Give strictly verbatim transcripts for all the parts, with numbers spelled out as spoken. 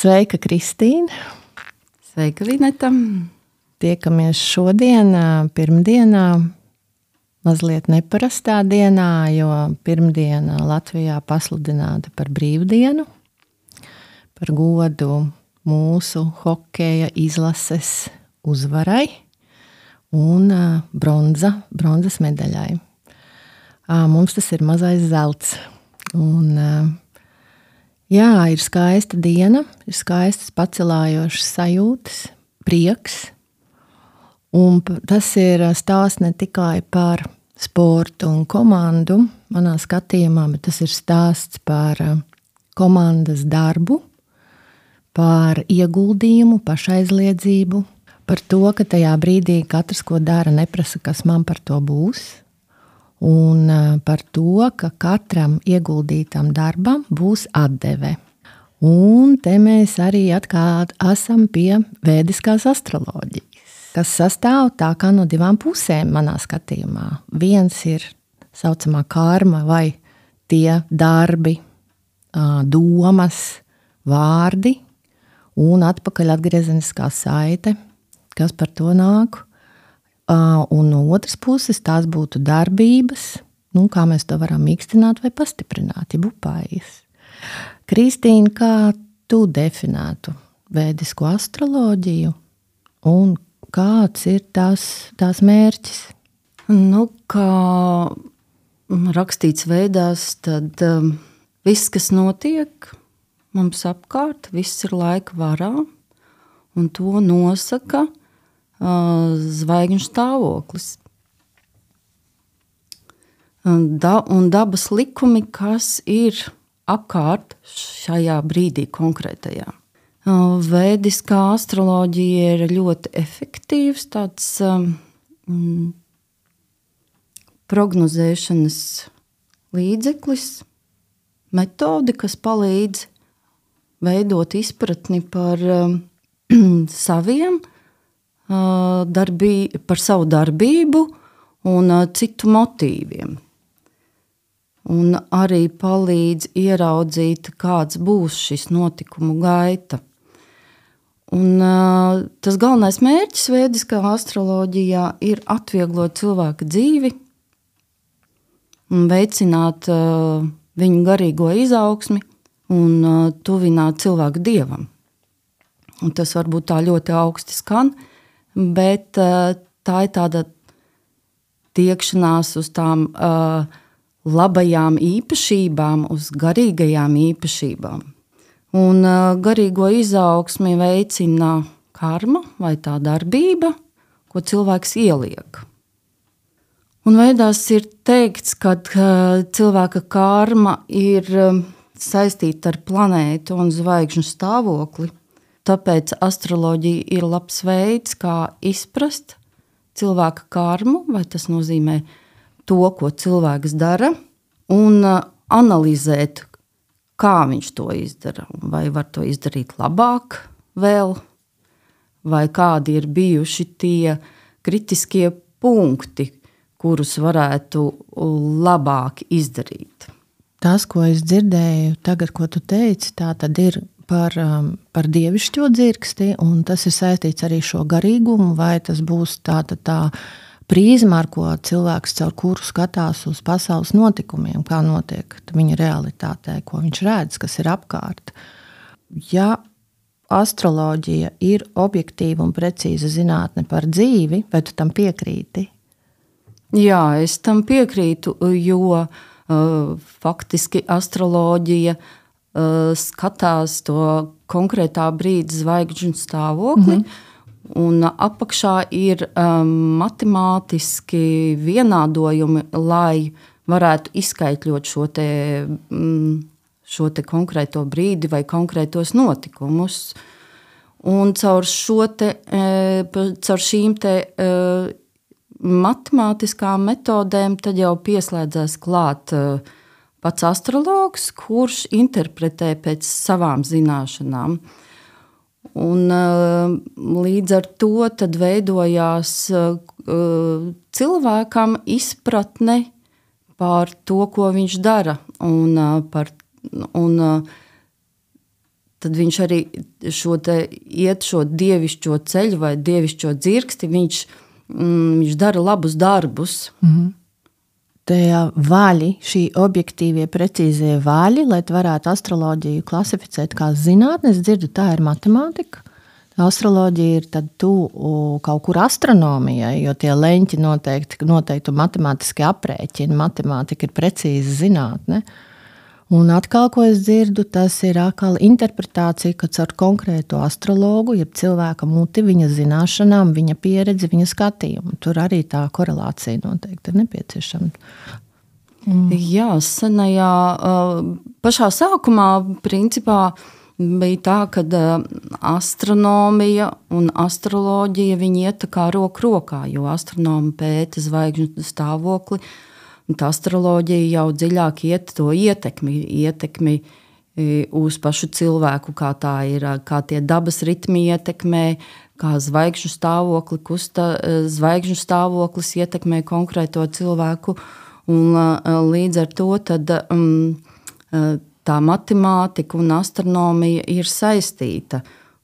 Sveika, Kristīne! Sveika, Vineta! Tiekamies šodien, pirmdienā, mazliet neparastā dienā, jo pirmdiena Latvijā pasludināta par brīvdienu, par godu mūsu hokeja izlases uzvarai un bronza, bronzas medaļai. Mums tas ir mazais zelts. Un, jā, ir skaista diena, ir skaistas pacelājošas sajūtas, prieks. Un tas ir stāsts ne tikai par sportu un komandu, manā skatījumā, bet tas ir stāsts par komandas darbu, par ieguldījumu, pašaizliedzību, par to, ka tajā brīdī katrs, ko dara, neprasa, kas man par to būs. Un par to, ka katram ieguldītam darbam būs atdeve. Un te mēs arī atkal esam pie vēdiskās astroloģijas, kas sastāv tā kā no divām pusēm manā skatījumā. Viens ir saucamā karma vai tie darbi, domas, vārdi un atpakaļ atgriezeniskā saite, kas par to nāk. Un no otras puses tās būtu darbības, nu, kā mēs to varam mīkstināt vai pastiprināt, ja upājas. Kristīne, kā tu definētu vēdisko astroloģiju un kāds ir tās, tās mērķis? Nu, kā rakstīts veidās, tad um, viss, kas notiek mums apkārt, viss ir laika varā, un to nosaka zvaigžņu stāvoklis. Da, un dabas likumi, kas ir apkārt šajā brīdī konkrētajā. Vēdiskā astroloģija ir ļoti efektīvs tāds um, prognozēšanas līdzeklis, metode, kas palīdz veidot izpratni par um, saviem Darbī, par savu darbību un citu motīviem. Un arī palīdz ieraudzīt, kāds būs šis notikumu gaita. Un, tas galvenais mērķis vēdiskā astroloģijā ir atvieglot cilvēka dzīvi un veicināt uh, viņu garīgo izaugsmi un uh, tuvināt cilvēku dievam. Un tas varbūt tā ļoti augsti skan, bet uh, tā ir tāda tiekšanās uz tām uh, labajām īpašībām, uz garīgajām īpašībām. Un uh, garīgo izaugsmi veicina karma vai tā darbība, ko cilvēks ieliek. Un veidās ir teikts, ka uh, cilvēka karma ir uh, saistīta ar planētu un zvaigžņu stāvokli. Tāpēc astroloģija ir labs veids, kā izprast cilvēka karmu, vai tas nozīmē to, ko cilvēks dara, un analizēt, kā viņš to izdara. Vai var to izdarīt labāk vēl, vai kādi ir bijuši tie kritiskie punkti, kurus varētu labāk izdarīt. Tas, ko es dzirdēju tagad, ko tu teici, tā tad ir Par, par dievišķo dzirksti, un tas ir saistīts arī šo garīgumu, vai tas būs tāda tā prizma, ar ko cilvēks caur kuru skatās uz pasaules notikumiem, kā notiek viņa realitātē, ko viņš redz, kas ir apkārt. Ja astroloģija ir objektīva un precīza zinātne par dzīvi, vai tu tam piekrīti? Jā, es tam piekrītu, jo uh, faktiski astroloģija skatās to konkrētā brīdi zvaigžņu stāvokli, mm-hmm. un apakšā ir um, matemātiski vienādojumi, lai varētu izskaitļot šo te, um, šo te konkrēto brīdi vai konkrētos notikumus. Un caur, šo te, caur šīm te matemātiskām metodēm tad jau pieslēdzās klāt pats astrologs, kurš interpretē pēc savām zināšanām. Un, līdz ar to tad veidojās cilvēkam izpratne par to, ko viņš dara. Un, par, un tad viņš arī šo te, iet šo dievišķo ceļu vai dievišķo dzirksti, viņš, mm, viņš dara labus darbus. Mm-hmm. Tie vaļi, šī objektīvie, precīzie vaļi, lai varētu astroloģiju klasificēt kā zinātni, es dzirdu, tā ir matemātika. Astroloģija ir tad tu kaut kur astronomijai, jo tie leņķi noteikti, noteikti matemātiski aprēķini, matemātika ir precīza zinātne. Un atkal, ko es dzirdu, tas ir atkal interpretācija, ka caur konkrēto astrologu, jeb cilvēka muti, viņa zināšanām, viņa pieredzi, viņa skatījumu. Tur arī tā korelācija noteikti ir nepieciešama. Mm. Jā, senajā, pašā sākumā, principā, bija tā, ka astronomija un astroloģija viņi iet tā kā roku rokā, jo astronomi pēta zvaigžņu stāvokli, un tā astroloģija jau dziļāk iet to ietekmi, ietekmi uz pašu cilvēku, kā tā ir, kā tie dabas ritmi ietekmē, kā zvaigžņu stāvokli, kusta, zvaigžņu stāvoklis ietekmē konkrēto cilvēku, un līdz ar to tad um, tā matemātika un astronomija ir saistīta.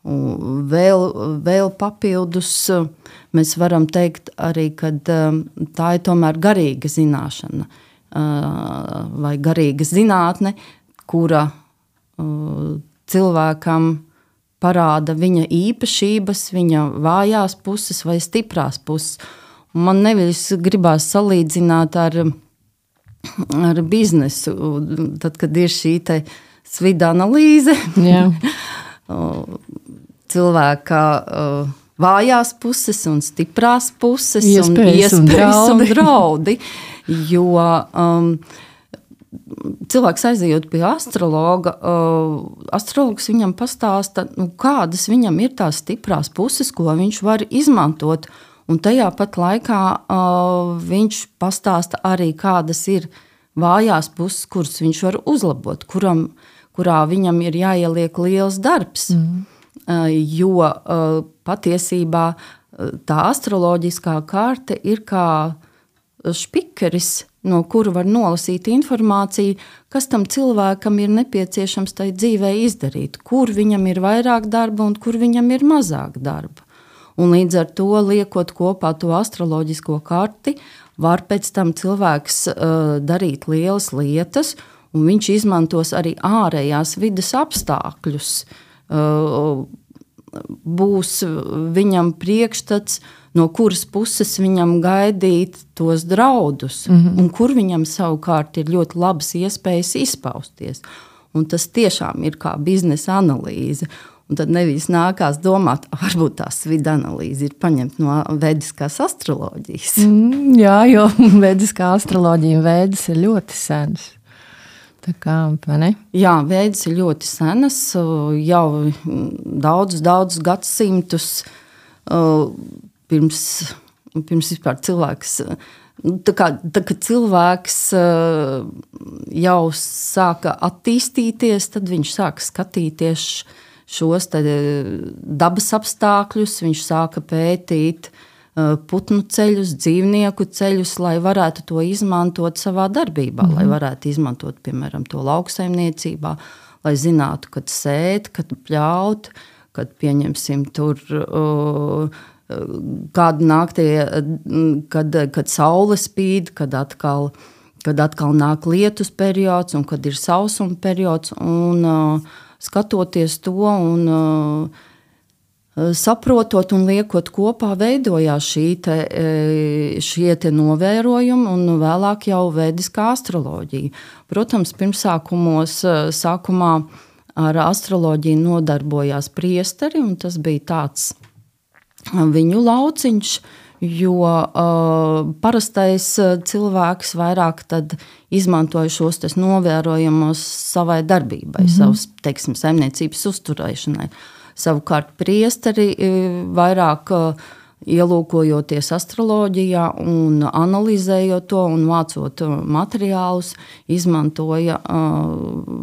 Un vēl, vēl papildus mēs varam teikt arī, ka tā ir tomēr garīga zināšana vai garīga zinātne, kura cilvēkam parāda viņa īpašības, viņa vājās puses vai stiprās puses. Un man nevis gribās salīdzināt ar ar biznesu, tad, kad ir šī te svida analīze, cilvēka vājās puses un stiprās puses iespējas un iespējas un draudi, un draudi jo um, cilvēks aizejot pie astrologa, uh, astrologs viņam pastāsta, nu, kādas viņam ir tās stiprās puses, ko viņš var izmantot. Un tajā pat laikā uh, viņš pastāsta arī, kādas ir vājās puses, kuras viņš var uzlabot, kuram, kurā viņam ir jāieliek liels darbs. Mm. Uh, jo uh, patiesībā uh, tā astroloģiskā karte ir kā špikeris, no kura var nolasīt informāciju, kas tam cilvēkam ir nepieciešams tai dzīvē izdarīt, kur viņam ir vairāk darba un kur viņam ir mazāk darba. Un līdz ar to, liekot kopā to astroloģisko karti, var pēc tam cilvēks uh, darīt lielas lietas, un viņš izmantos arī ārējās vides apstākļus. Uh, būs viņam priekšstats, no kuras puses viņam gaidīt tos draudus, mm-hmm. un kur viņam savukārt ir ļoti labas iespējas izpausties. Un tas tiešām ir kā biznesa analīze. Un tad nevis nākās domāt, varbūt tā svida analīze ir paņemta no vediskās astroloģijas. Mm, jā, jo vediskā astroloģija un vēdas ir ļoti senas. Tā kā, vai ne? Jā, vēdas ir ļoti senas, jau daudzus, daudzus gadsimtus pirms, pirms vispār cilvēks, tā kā, tā kā cilvēks jau sāka attīstīties, tad viņš sāka skatīties šos dabas apstākļus, viņš sāka pētīt putnu ceļus, dzīvnieku ceļus, lai varētu to izmantot savā darbībā, mm-hmm. lai varētu izmantot, piemēram, to lauksaimniecībā, lai zinātu, kad sēt, kad pļaut, kad pieņemsim tur uh, kādu naktī, kad, kad saule spīd, kad atkal, kad atkal nāk lietus periods un kad ir sausuma periods, un uh, skatoties to un uh, saprotot un liekot kopā, veidojās šī te, šie te novērojumi un vēlāk jau vediskā astroloģija. Protams, pirmsākumos, sākumā ar astroloģiju nodarbojās priesteri, un tas bija tāds viņu lauciņš, jo uh, parastais cilvēks vairāk tad izmantoja šos tes novērojumus savai darbībai, mm-hmm. savas, teiksim, saimniecības uzturēšanai. Savukārt priesteri vairāk ielūkojoties astroloģijā un analizējot to un vācot materiālus, izmantoja uh,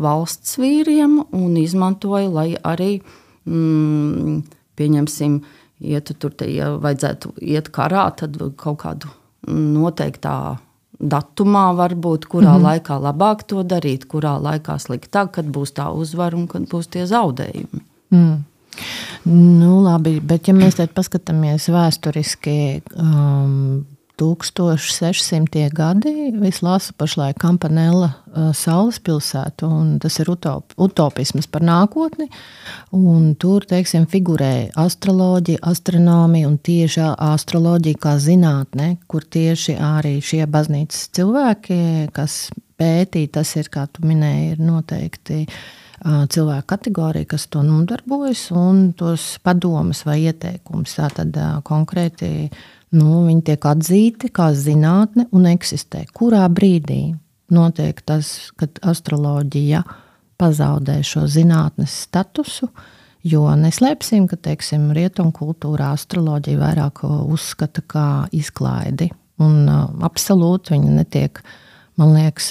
valsts vīriem un izmantoja, lai arī, mm, pieņemsim, ietu tur te, ja vajadzētu iet karā, tad kaut kādu noteiktā datumā varbūt, kurā mm-hmm. laikā labāk to darīt, kurā laikā sliktāk, kad būs tā uzvara un kad būs tie zaudējumi. Mm. Nu, labi, bet ja mēs tad paskatāmies vēsturiski, um, tūkstoš sešsimtie gadi, es lasu pašlaik Campanella uh, Saules pilsētu, un tas ir utop, utopisms par nākotni, un tur, teiksim, figurē astroloģija, astronomija un tieši astroloģija kā zinātne, kur tieši arī šie baznīcas cilvēki, kas pētī, tas ir, kā tu minēji, ir noteikti cilvēku kategorija, kas to nodarbojas, un tos padomus vai ieteikumus. Tātad konkrēti nu, viņi tiek atzīti kā zinātne un eksistē. Kurā brīdī notiek tas, kad astroloģija pazaudē šo zinātnes statusu, jo neslēpsim, ka, teiksim, rietumkultūrā astroloģija vairāk uzskata kā izklaidi, un absolūti viņa netiek, man liekas,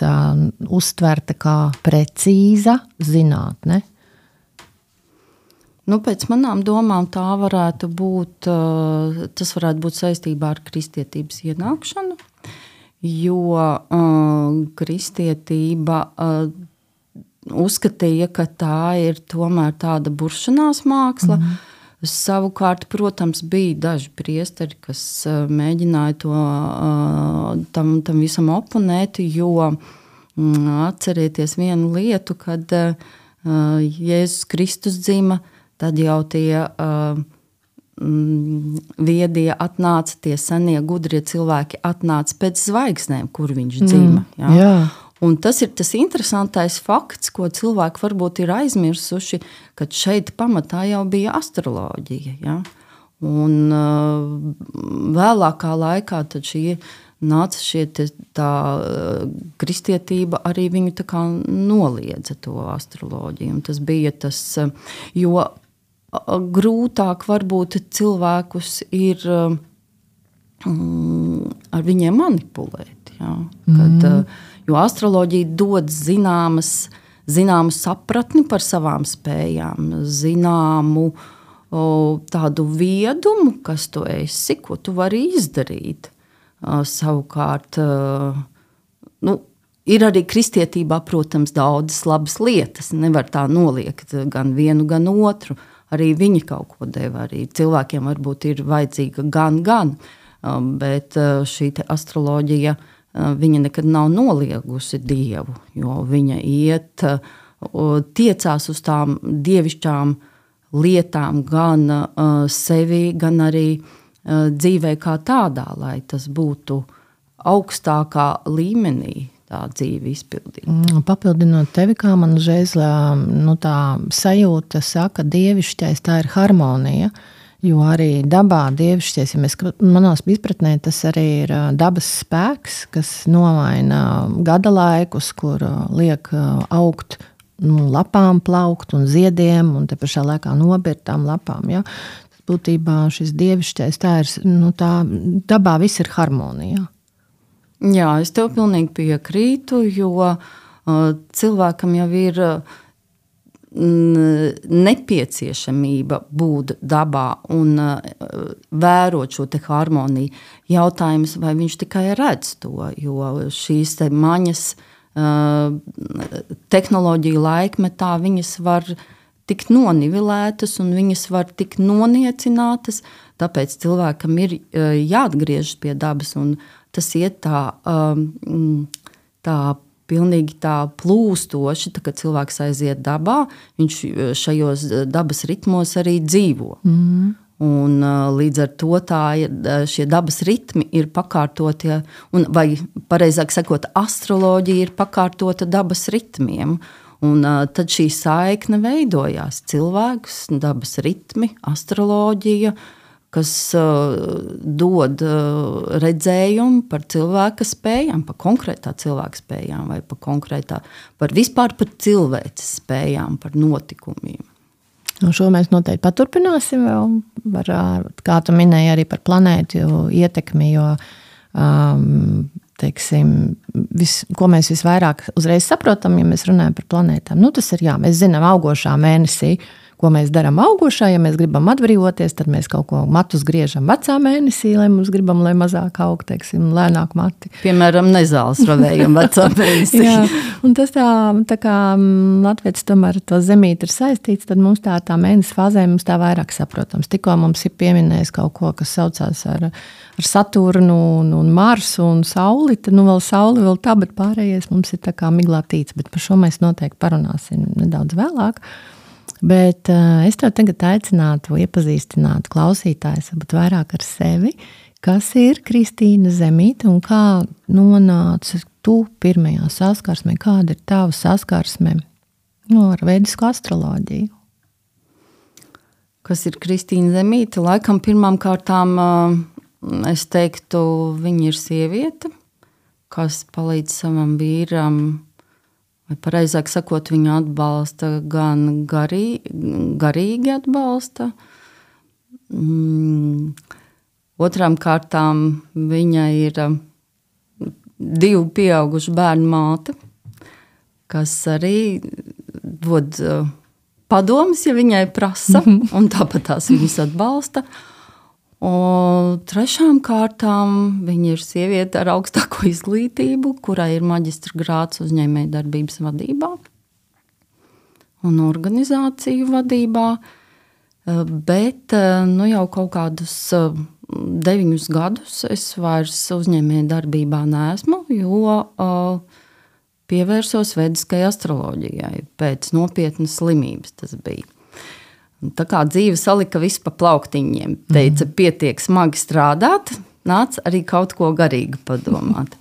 uztverta kā precīza zinātne. Nu, pēc manām domām tā varētu būt, tas varētu būt saistībā ar kristietības ienākšanu, jo uh, kristietība uh, uzskatīja, ka tā ir tomēr tāda buršanās māksla. Mm. Savukārt, protams, bija daži priesteri, kas uh, mēģināja to, uh, tam, tam visam oponēt, jo um, atcerieties vienu lietu, kad uh, Jēzus Kristus dzima, tad jau tie uh, mm, viedie atnāca, tie senie gudrie cilvēki atnāca pēc zvaigznēm, kur viņš dzima. Mm, jā. Jā. Un tas ir tas interesantais fakts, ko cilvēki varbūt ir aizmirsuši, kad šeit pamatā jau bija astroloģija. Ja? Un uh, vēlākā laikā tad šie nāca šie te, tā kristietība, arī viņu tā kā noliedza to astroloģiju. Un tas bija tas, jo grūtāk varbūt cilvēkus ir um, ar viņiem manipulēt. Ja? Kad, mm. Jo astroloģija dod zināmas, zināmu sapratni par savām spējām, zināmu o, tādu viedumu, kas tu esi, ko tu vari izdarīt. O, savukārt, o, nu, ir arī kristietībā, protams, daudzas labas lietas. Nevar tā noliegt gan vienu, gan otru. Arī viņi kaut ko deva. Arī cilvēkiem varbūt ir vajadzīga gan, gan. Bet šī te astroloģija, viņa nekad nav noliegusi Dievu, jo viņa iet, tiecās uz tām dievišķām lietām gan sevi, gan arī dzīvē kā tādā, lai tas būtu augstākā līmenī. Tā dzīve izpildīt. Papildinot tevi, kā man uzreiz nu, tā sajūta saka, dievišķais tā ir harmonija, jo arī dabā dievišķais, ja mēs manās izpratnē, tas arī ir dabas spēks, kas nomaina gada laikus, kur liek augt nu, lapām plaukt un ziediem, un te pašā laikā nobirt tām lapām. Ja? Būtībā šis dievišķais tā ir, nu, tā dabā viss ir harmonija. Jā, es tev pilnīgi piekrītu, jo uh, cilvēkam jau ir uh, nepieciešamība būt dabā un uh, vērot šo te harmoniju. Jautājums, vai viņš tikai redz to, jo šīs te maņas uh, tehnoloģiju laikmetā viņas var tikt nonivilētas un viņas var tikt noniecinātas, tāpēc cilvēkam ir uh, jāatgriežas pie dabas un tas iet tā, um, tā pilnīgi tā plūstoši, tā, kad cilvēks aiziet dabā, viņš šajos dabas ritmos arī dzīvo. Mm. Un uh, līdz ar to tā, šie dabas ritmi ir pakārtoti, un, vai pareizāk sakot, astroloģija ir pakārtota dabas ritmiem. Un uh, tad šī saikne veidojās cilvēks, dabas ritmi, astroloģija, kas uh, dod uh, redzējumu par cilvēka spējām, par konkrētā cilvēka spējām vai par konkrētā, par vispār par cilvēces spējām, par notikumiem. Un šo mēs noteikti paturpināsim vēl, var, kā tu minēji arī par planētu ietekmi, jo, um, teiksim, vis, ko mēs visvairāk uzreiz saprotam, ja mēs runājam par planētām. Nu, tas ir, jā, mēs zinām augošā mēnesī, ko mēs darām augošā. Ja mēs gribam atbrīvoties, tad mēs kaut ko matus griežam vecā mēnesī, lai mums gribam, lai mazāk aug, teiksim, lēnāk mati. Piemēram, nezāles ravējam vecā mēnesī. Jā, un tas tā, tā kā latvietis tomēr to zemīti ir saistīts, tad mums tā, tā mēnesis fāzē mums tā vairāk saprotams. Tikko mums ir pieminējis kaut ko, kas saucās ar, ar Saturnu un, un Marsu un Sauli, tad nu vēl Sauli vēl tā, bet pārējais mums ir tā kā miglā tīts, bet par šo mēs noteikti parunāsim nedaudz vēlāk. Bet uh, es tev tagad aicinātu iepazīstināt klausītājus varbūt vairāk ar sevi, kas ir Kristīna Zemīte un kā nonāca tu pirmajā saskarsmē, kāda ir tava saskarsme no, ar vedisku astroloģiju? Kas ir Kristīna Zemīte? Laikam pirmām kārtām uh, es teiktu, viņa ir sieviete, kas palīdz savam vīram, vai pareizāk sakot, viņa atbalsta gan garī, garīgi atbalsta. Mm. Otrām kārtām viņa ir divu pieaugušu bērnu māte, kas arī dod padomus, ja viņai prasa, un tāpat tās viņas atbalsta. Un trešām kārtām viņa ir sieviete ar augstāko izglītību, kurai ir maģistra grāds uzņēmējdarbības vadībā un organizāciju vadībā, bet nu, jau kaut kādus deviņus gadus es vairs uzņēmējdarbībā neesmu, jo pievērsos vediskai astroloģijai pēc nopietnas slimības tas bija. Tā kā dzīve salika visu pa plauktiņiem, teica, pietiek smagi strādāt, nāc arī kaut ko garīgi padomāt.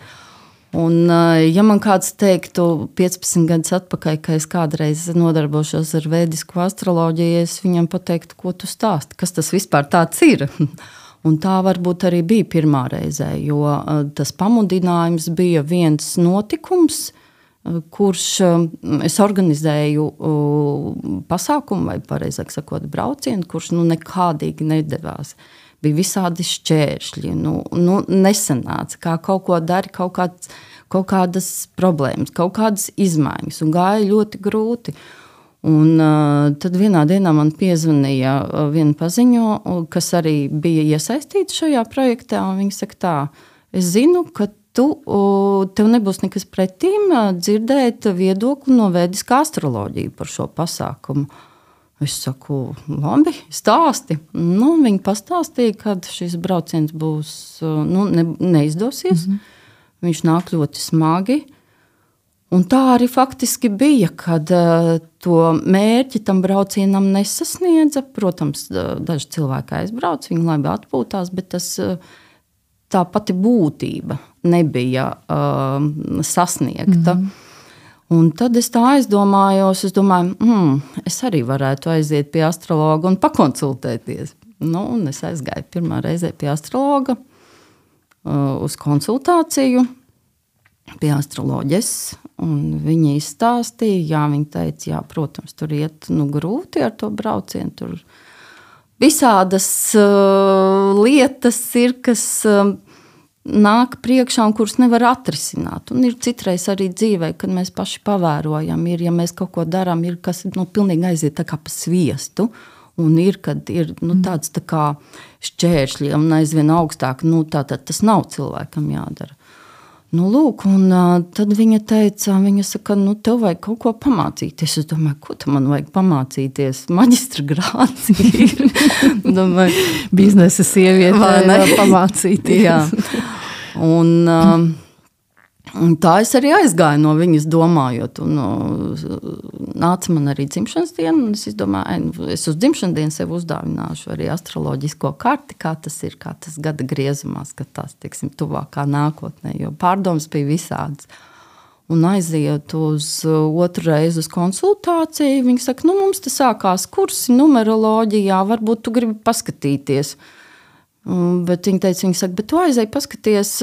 Un, ja man kāds teiktu piecpadsmit gadus atpakaļ, ka es kādreiz nodarbošos ar vedisku astroloģiju, es viņam pateiktu, ko tu stāsti, kas tas vispār tāds ir. Un tā varbūt arī bija pirmā reizē, jo tas pamudinājums bija viens notikums, kurš es organizēju pasākumu, vai pareizāk sakot braucienu, kurš nu nekādīgi nedevās. Bija visādi šķēršļi, nu, nu nesanāca, kā kaut ko dari, kaut, kāds, kaut kādas problēmas, kaut kādas izmaiņas, un gāja ļoti grūti. Un uh, tad vienā dienā man piezvanīja viena paziņo, kas arī bija iesaistīta šajā projektā, un viņa saka tā, es zinu, ka tu, tev nebūs nekas pretīm dzirdēt viedokli no vediskā astroloģija par šo pasākumu. Es saku, labi, stāsti. Nu, viņi pastāstīja, kad šis brauciens būs, nu, ne, neizdosies. Mm-hmm. Viņš nāk ļoti smagi. Un tā arī faktiski bija, kad uh, to mērķi tam braucienam nesasniedza. Protams, daži cilvēki aizbrauc, viņi labi atpūtās, bet tas... Uh, tā pati būtība nebija uh, sasniegta. Mm-hmm. Un tad es tā aizdomājos, es domāju, mm, es arī varētu aiziet pie astrologa un pakonsultēties. Nu, un es aizgāju pirmā reizē pie astrologa uh, uz konsultāciju pie astroloģes, un viņa izstāstīja, jā, viņa teica, jā, protams, tur iet nu, grūti ar to braucienu, tur visādas uh, lietas ir, kas uh, nāk priekšā un kuras nevar atrisināt. Un ir citreiz arī dzīvē, kad mēs paši pavērojam, ir, ja mēs kaut ko darām, ir kas nu, pilnīgi aiziet tā kā pa sviestu, un ir, kad ir nu, tāds tā kā šķēršļi un aizvien augstāk, nu tā tad tas nav cilvēkam jādara. Nu, lūk, un uh, tad viņa teica, viņa saka, nu, tev vajag kaut ko pamācīties. Es domāju, ko tu man vajag pamācīties? Maģistra grāds ir. Domāju, biznesa sieviete var pamācīties. Jā. Un, uh, un tā es arī aizgāju no viņas domājot. Un, uh, nāca man arī dzimšanas diena, un es izdomāju, es uz dzimšanas dienu sev uzdāvināšu arī astroloģisko karti, kā tas ir, kā tas gada griezumā skatās, teiksim, tuvākā nākotnē, jo pārdomas bija visādas. Un aiziet uz otru reizi uz konsultāciju, viņi saka, nu mums te sākās kursi numeroloģijā, varbūt tu gribi paskatīties. Bet viņi teica, viņi saka, bet tu aizēji paskaties,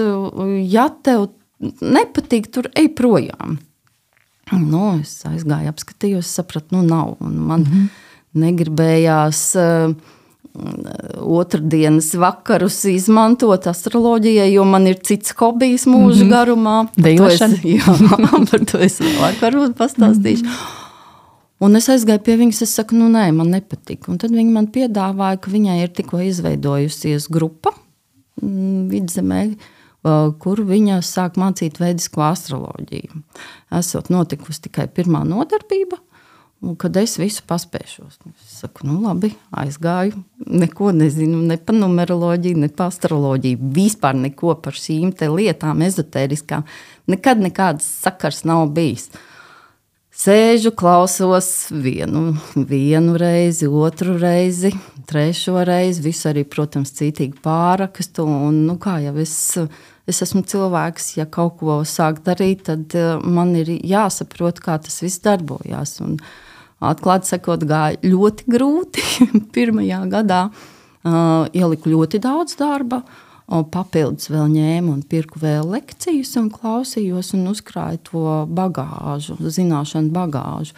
ja tev nepatīk, tur ej projām. Nu, es aizgāju, apskatījos, sapratu, nu nav. Un man mm-hmm. negribējās uh, otrdienas vakarus izmantot astroloģijai, jo man ir cits hobijs mūža mm-hmm. garumā. Dejošana? Jā, par to es vēlāk varbūt pastāstīšu. Mm-hmm. Un es aizgāju pie viņas, es saku, nu nē, man nepatika. Un tad viņa man piedāvāja, ka viņai ir tikko izveidojusies grupa Vidzemē, kur viņa sāk mācīt veidisko astroloģiju. Esot notikusi tikai pirmā nodarbība, un kad es visu paspēšos. Es saku, nu labi, aizgāju, neko nezinu, ne par numeroloģiju, ne par astroloģiju, vispār neko par šīm te lietām ezotēriskām. Nekad nekāds sakars nav bijis. Sēžu, klausos vienu, vienu reizi, otru reizi, trešo reizi, visu arī, protams, cītīgi pārakstu. Un, nu, kā jau es, es esmu cilvēks, ja kaut ko sāk darīt, tad man ir jāsaprot, kā tas viss darbojās. Un, atklāti sakot, gāja ļoti grūti. Pirmajā gadā uh, ieliku ļoti daudz darba. Papildus vēl ņēmu un pirku vēl lekcijas un klausījos un uzkrāju to bagāžu, zināšanu bagāžu.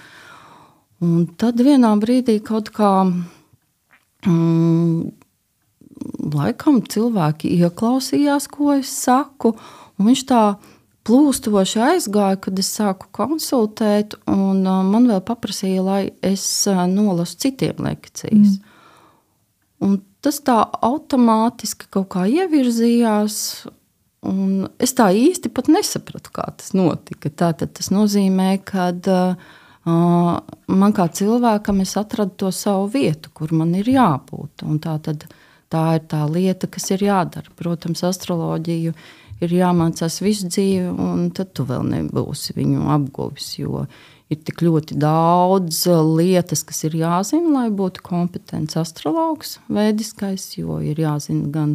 Un tad vienā brīdī kaut kā mm, laikam cilvēki ieklausījās, ko es saku, un viņš tā plūstoši aizgāja, kad es sāku konsultēt, un uh, man vēl paprasīja, lai es uh, nolasu citiem lekcijas. Mm. Un tas tā automātiski kaut kā ievirzījās, un es tā īsti pat nesapratu, kā tas notika. Tātad tas nozīmē, ka uh, man kā cilvēkam es atradu to savu vietu, kur man ir jābūt. Un tātad tā ir tā lieta, kas ir jādara. Protams, astroloģiju ir jāmācās visu dzīvi, un tad tu vēl nebūsi viņu apguvis, jo ir tik ļoti daudz lietas, kas ir jāzina, lai būtu kompetents astrologs veidiskais, jo ir jāzina gan,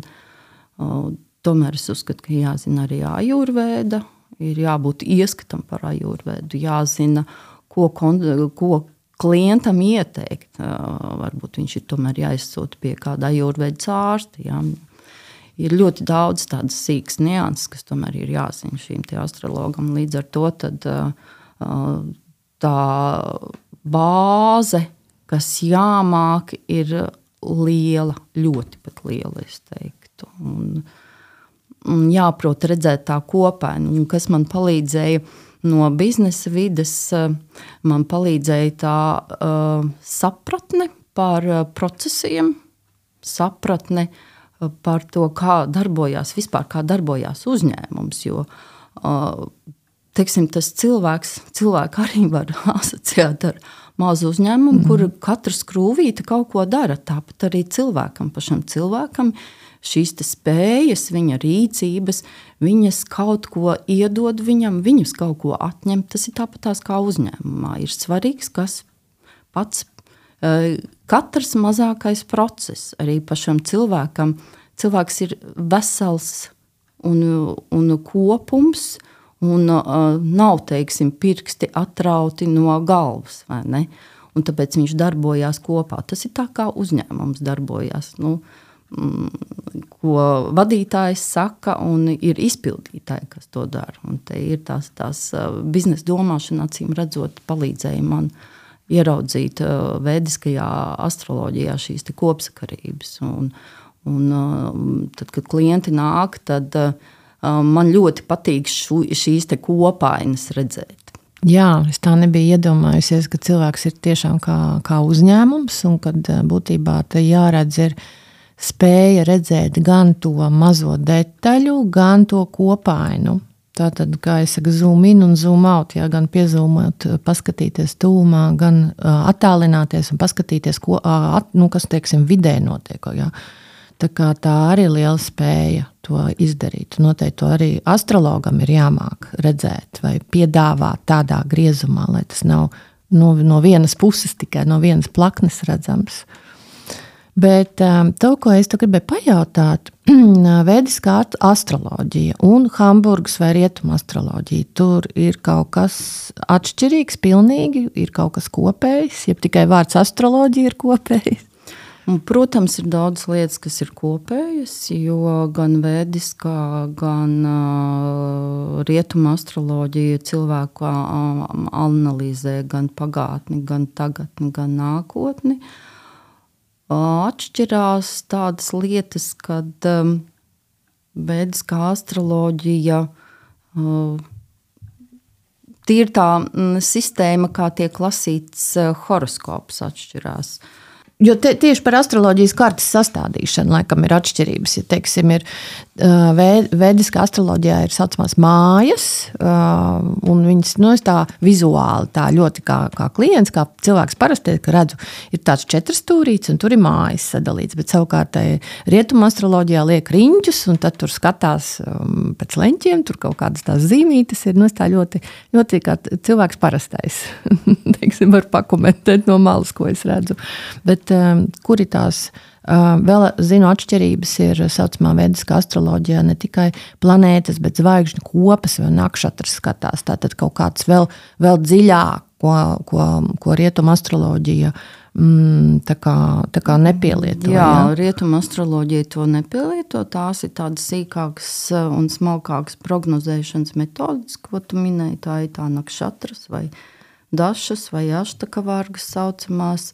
uh, tomēr es uzskatu, ka jāzina arī ajurvēda, ir jābūt ieskatam par ajurvēdu, jāzina, ko, ko klientam ieteikt. Uh, varbūt viņš ir tomēr jāizsūta pie kāda ajurvēdas ārsta. Jā. Ir ļoti daudz tādas sīkas nianses, kas tomēr ir jāzina šīm te astrologam. Līdz ar to tad uh, tā bāze, kas jāmāk, ir liela, ļoti pat liela, es teiktu. Un, un jāprot redzēt tā kopainu. Un kas man palīdzēja no biznesa vides, man palīdzēja tā uh, sapratne par procesiem, sapratne par to, kā darbojās, vispār kā darbojās uzņēmums, jo uh, teiksim, tas cilvēks, cilvēku arī var asociēt ar mazu uzņēmumu, mm. kur katra skrūvīte kaut ko dara. Tāpat arī cilvēkam, pašam cilvēkam šīs te spējas, viņa rīcības, viņas kaut ko iedod viņam, viņas kaut ko atņem. Tas ir tāpat tās kā uzņēmumā. Ir svarīgs, kas pats, katrs mazākais process arī pašam cilvēkam. Cilvēks ir vesels un, un kopums, un uh, nav, teiksim, pirksti atrauti no galvas, vai ne? Un tāpēc viņš darbojās kopā. Tas ir tā, kā uzņēmums darbojās, nu, mm, ko vadītājs saka, un ir izpildītāji, kas to dara. Un te ir tās, tās uh, biznesa domāšana, acīm redzot, palīdzēja man ieraudzīt uh, vēdiskajā astroloģijā šīs te kopsakarības. Un, un uh, tad, kad klienti nāk, tad uh, man ļoti patīk šu, šīs te kopainas redzēt. Jā, es tā nebiju iedomājusies, ka cilvēks ir tiešām kā, kā uzņēmums, un kad būtībā te jāredz ir spēja redzēt gan to mazo detaļu, gan to kopainu. Tātad, kā es saku, zoom in un zoom out, jā, gan piezūmot, paskatīties tūmā, gan uh, attālināties un paskatīties, ko, uh, at, nu, kas, teiksim, vidē notiek, jā. Tā kā tā arī ir liela spēja to izdarīt. Noteikti to arī astrologam ir jāmāk redzēt vai piedāvāt tādā griezumā, lai tas nav no, no vienas puses tikai, no vienas plaknes redzams. Bet um, to, ko es te gribēju pajautāt, vēdiskā astroloģija un Hamburgas vai rietuma astroloģija, tur ir kaut kas atšķirīgs pilnīgi, ir kaut kas kopējs, jeb tikai vārds astroloģija ir kopējs. Un, protams, ir daudz lietas, kas ir kopējas, jo gan vēdiskā, gan uh, rietuma astroloģija cilvēku uh, analizē gan pagātni, gan tagadni, gan nākotni. Uh, atšķirās tādas lietas, kad um, vēdiskā astroloģija uh, tīri tā mm, sistēma, kā tiek lasīts horoskops, atšķirās. Jo te, tieši par astroloģijas kartes sastādīšanu laikam ir atšķirības. Ja, teiksim, ir, uh, vēdiskā astroloģijā ir saucamās mājas, uh, un viņas nu, tā vizuāli tā ļoti kā, kā klients, kā cilvēks parasti, ka redzu, ir tāds četrstūrīts, un tur ir mājas sadalīts, bet savukārt rietuma astroloģijā liek riņķus, un tad tur skatās um, pēc leņķiem, tur kaut kādas tās zīmītes ir, nu, tā ļoti, ļoti kā cilvēks parastais. Teiksim, var pakomentēt no malas, ko es redzu. Bet kur ir tās, vēl zinu, atšķirības ir saucamā vēdiskā astroloģijā ne tikai planētas, bet zvaigžņu kopas vai nakšatras skatās. Tātad kaut kāds vēl, vēl dziļāk, ko, ko, ko rietuma astroloģija mm, tā kā, tā kā nepielieto. Jā, ja? Rietuma astroloģija to nepielieto. Tās ir tādas sīkākas un smalkākas prognozēšanas metodas, ko tu minēji. Tā ir tā nakšatras vai dašas vai aštakavārgas saucamās.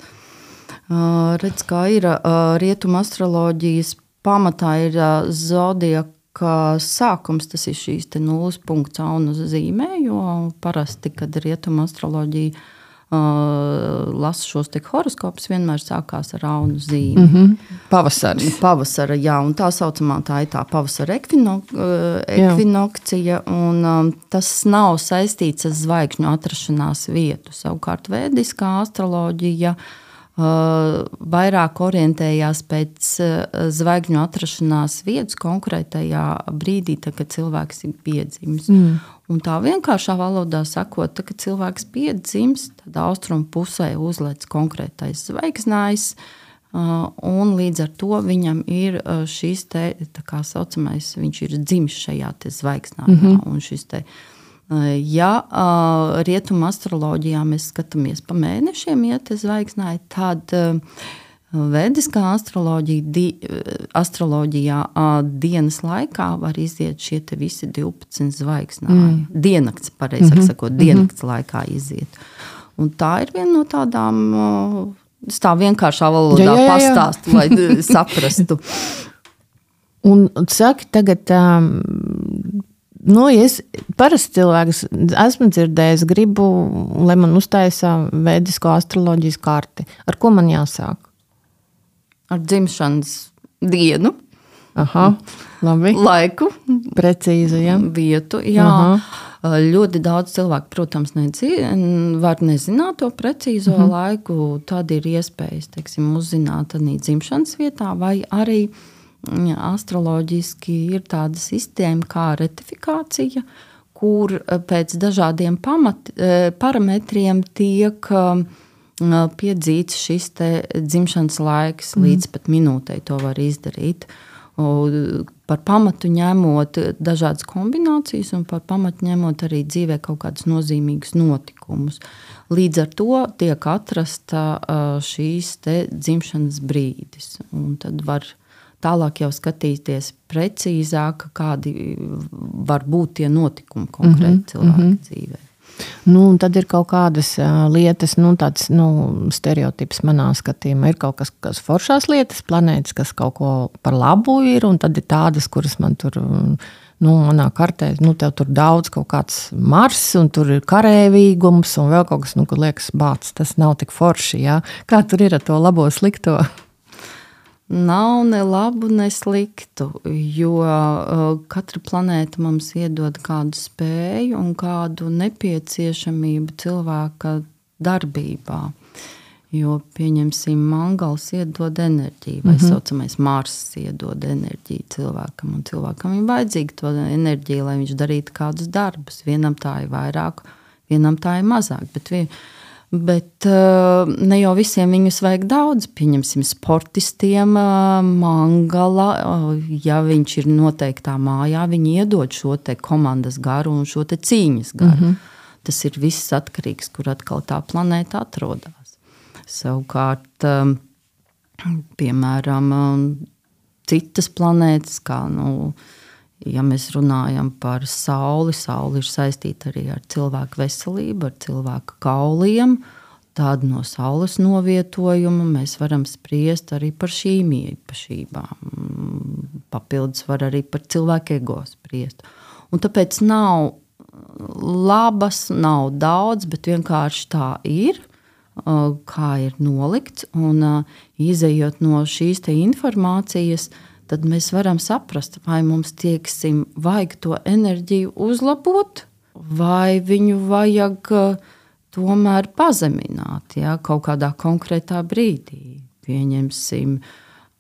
Uh, redz, kā ir uh, rietuma astroloģijas pamatā ir uh, zodiaka sākums, tas ir šīs te nulles punkts aunu zīmē, jo parasti, kad rietuma astroloģija uh, lasa šos te horoskopus, vienmēr sākās ar aunu zīmi. Mm-hmm. Pavasaris. Pavasara, jā, un tā saucamā tā ir tā pavasara ekvino, uh, ekvinokcija, un um, tas nav saistīts ar zvaigžņu atrašanās vietu. Savukārt vēdiskā astroloģija Uh, vairāk orientējās pēc uh, zvaigžņu atrašanās vietas konkrētajā brīdī, tā, kad cilvēks ir piedzimis. Mm. Un tā vienkāršā valodā sakot, tā, kad cilvēks piedzimis, tad austrumu pusē uzlec konkrētais zvaigznājs, uh, un līdz ar to viņam ir uh, šīs te, tā kā saucamais, viņš ir dzimis šajā te zvaigznājā, mm-hmm. un šis te ja uh, rietuma astroloģijā mēs skatāmies pa mēnešiem, ja te zvaigznāji, tad uh, vēdiskā astroloģija, di, astroloģijā uh, dienas laikā var iziet šie te visi divpadsmit zvaigznāji. Mm. Diennakts, pareizāk mm-hmm. sakot, diennakts mm-hmm. laikā iziet. Un tā ir viena no tādām, uh, tā vienkāršā valodā jā, jā, jā. pastāstu, lai saprastu. Un saki tagad... Um, Nu, ja es parasti cilvēks esmu dzirdējis, gribu, lai man uztaisa vēdisko astroloģijas karti. Ar ko man jāsāk? Ar dzimšanas dienu. Aha, labi. Laiku. Precīzi, jā. Vietu, jā. Aha. Ļoti daudz cilvēku, protams, nedzi, var nezināt to precīzo uh-huh. laiku. Tad ir iespējas, teiksim, uzzināt arī dzimšanas vietā vai arī astroloģiski ir tāda sistēma kā retifikācija, kur pēc dažādiem pamat, parametriem tiek piedzīts šis te dzimšanas laiks, mm. līdz pat minūtei to var izdarīt. Un par pamatu ņemot dažādas kombinācijas un par pamatu ņemot arī dzīvē kaut kādus nozīmīgus notikumus. Līdz ar to tiek atrasta šīs te dzimšanas brīdis. Un tad var tālāk jau skatīties precīzāk, kādi var būt tie notikumi konkrēti mm-hmm. cilvēka mm-hmm. dzīvē. Nu, un tad ir kaut kādas uh, lietas, nu, tāds nu, stereotips manā skatījumā. Ir kaut kas, kas foršās lietas, planētas, kas kaut ko par labu ir, un tad ir tādas, kuras man tur, nu, manā kartē, nu, tev tur daudz kaut kāds Mars, un tur ir karēvīgums, un vēl kaut kas, nu, kur liekas bāc, tas nav tik forši, jā. Kā tur ir ar to labo slikto? Nav ne labu, ne sliktu, jo uh, katra planēta mums iedod kādu spēju un kādu nepieciešamību cilvēka darbībā. Jo, pieņemsim, Mangals iedod enerģiju, vai mm-hmm. saucamais Mars iedod enerģiju cilvēkam, un cilvēkam ir vajadzīga to enerģiju, lai viņš darītu kādus darbus. Vienam tā ir vairāk, vienam tā ir mazāk, bet vien, Bet ne jau visiem viņus vajag daudz. Pieņemsim sportistiem Mangala, ja viņš ir noteiktā mājā, viņi iedod šo te komandas garu un šo te cīņas garu. Mm-hmm. Tas ir viss atkarīgs, kur atkal tā planēta atrodas. Savukārt, piemēram, citas planētas, kā, nu, ja mēs runājam par Sauli, Sauli ir saistīta arī ar cilvēku veselību, ar cilvēku kauliem. Tad no Saules novietojuma mēs varam spriest arī par šīm īpašībām. Papildus var arī par cilvēku ego spriest. Un tāpēc nav labas, nav daudz, bet vienkārši tā ir, kā ir nolikts. Un izejot no šīs te informācijas, tad mēs varam saprast, vai mums, tieksim, vajag to enerģiju uzlabot, vai viņu vajag tomēr pazemināt, ja, kaut kādā konkrētā brīdī. Pieņemsim,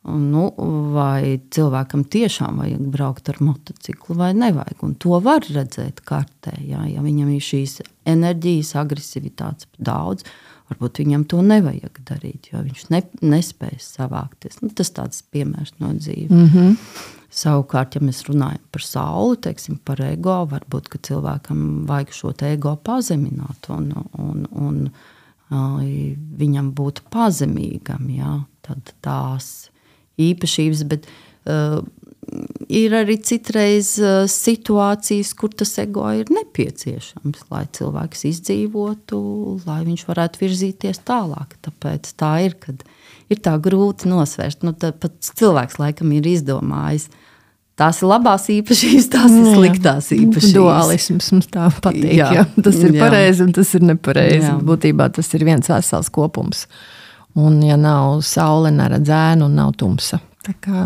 nu, vai cilvēkam tiešām vajag braukt ar motociklu vai nevajag. Un to var redzēt kartē. Ja, ja viņam ir šīs enerģijas, agresivitātes daudz, varbūt viņam to nevajag darīt, jo viņš ne, nespējas savākties. Nu, tas tāds piemērs no dzīves. Mm-hmm. Savukārt, ja mēs runājam par sauli, teiksim, par ego, varbūt, ka cilvēkam vajag šo te ego pazemināt un, un, un uh, viņam būt pazemīgam, ja, tad tās īpašības, bet uh, ir arī citreiz uh, situācijas, kur tas ego ir nepieciešams, lai cilvēks izdzīvotu, lai viņš varētu virzīties tālāk. Tāpēc tā ir, kad ir tā grūti nosvērst. Nu, pat cilvēks laikam ir izdomājis. Tās ir labās īpašības, tās ir sliktās īpašības. Dualisms mums tā patīk. Jā, jā. Tas ir jā. pareizi un tas ir nepareizi. Jā. Būtībā tas ir viens vesels kopums. Un ja nav saule, neredz ēnu un nav tumsa. Tā kā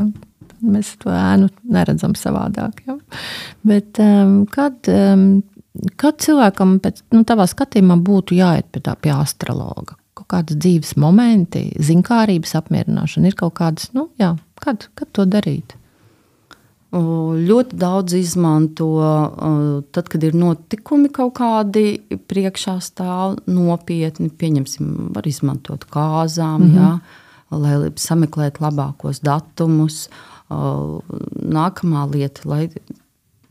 mēs to ēnu neredzam savādāk. Ja? Bet um, kad, um, kad cilvēkam pēc, nu, tavā skatījumā būtu jāiet pie tā pie astrologa? Kaut kādas dzīves momenti, zinkārības apmierināšana ir kaut kādas, nu jā, kad, kad to darīt? Ļoti daudz izmanto, tad, kad ir notikumi kaut kādi priekšā stāv nopietni, pieņemsim, var izmantot kāzām, mm-hmm. jā, lai sameklētu labākos datumus. Nākamā lieta, lai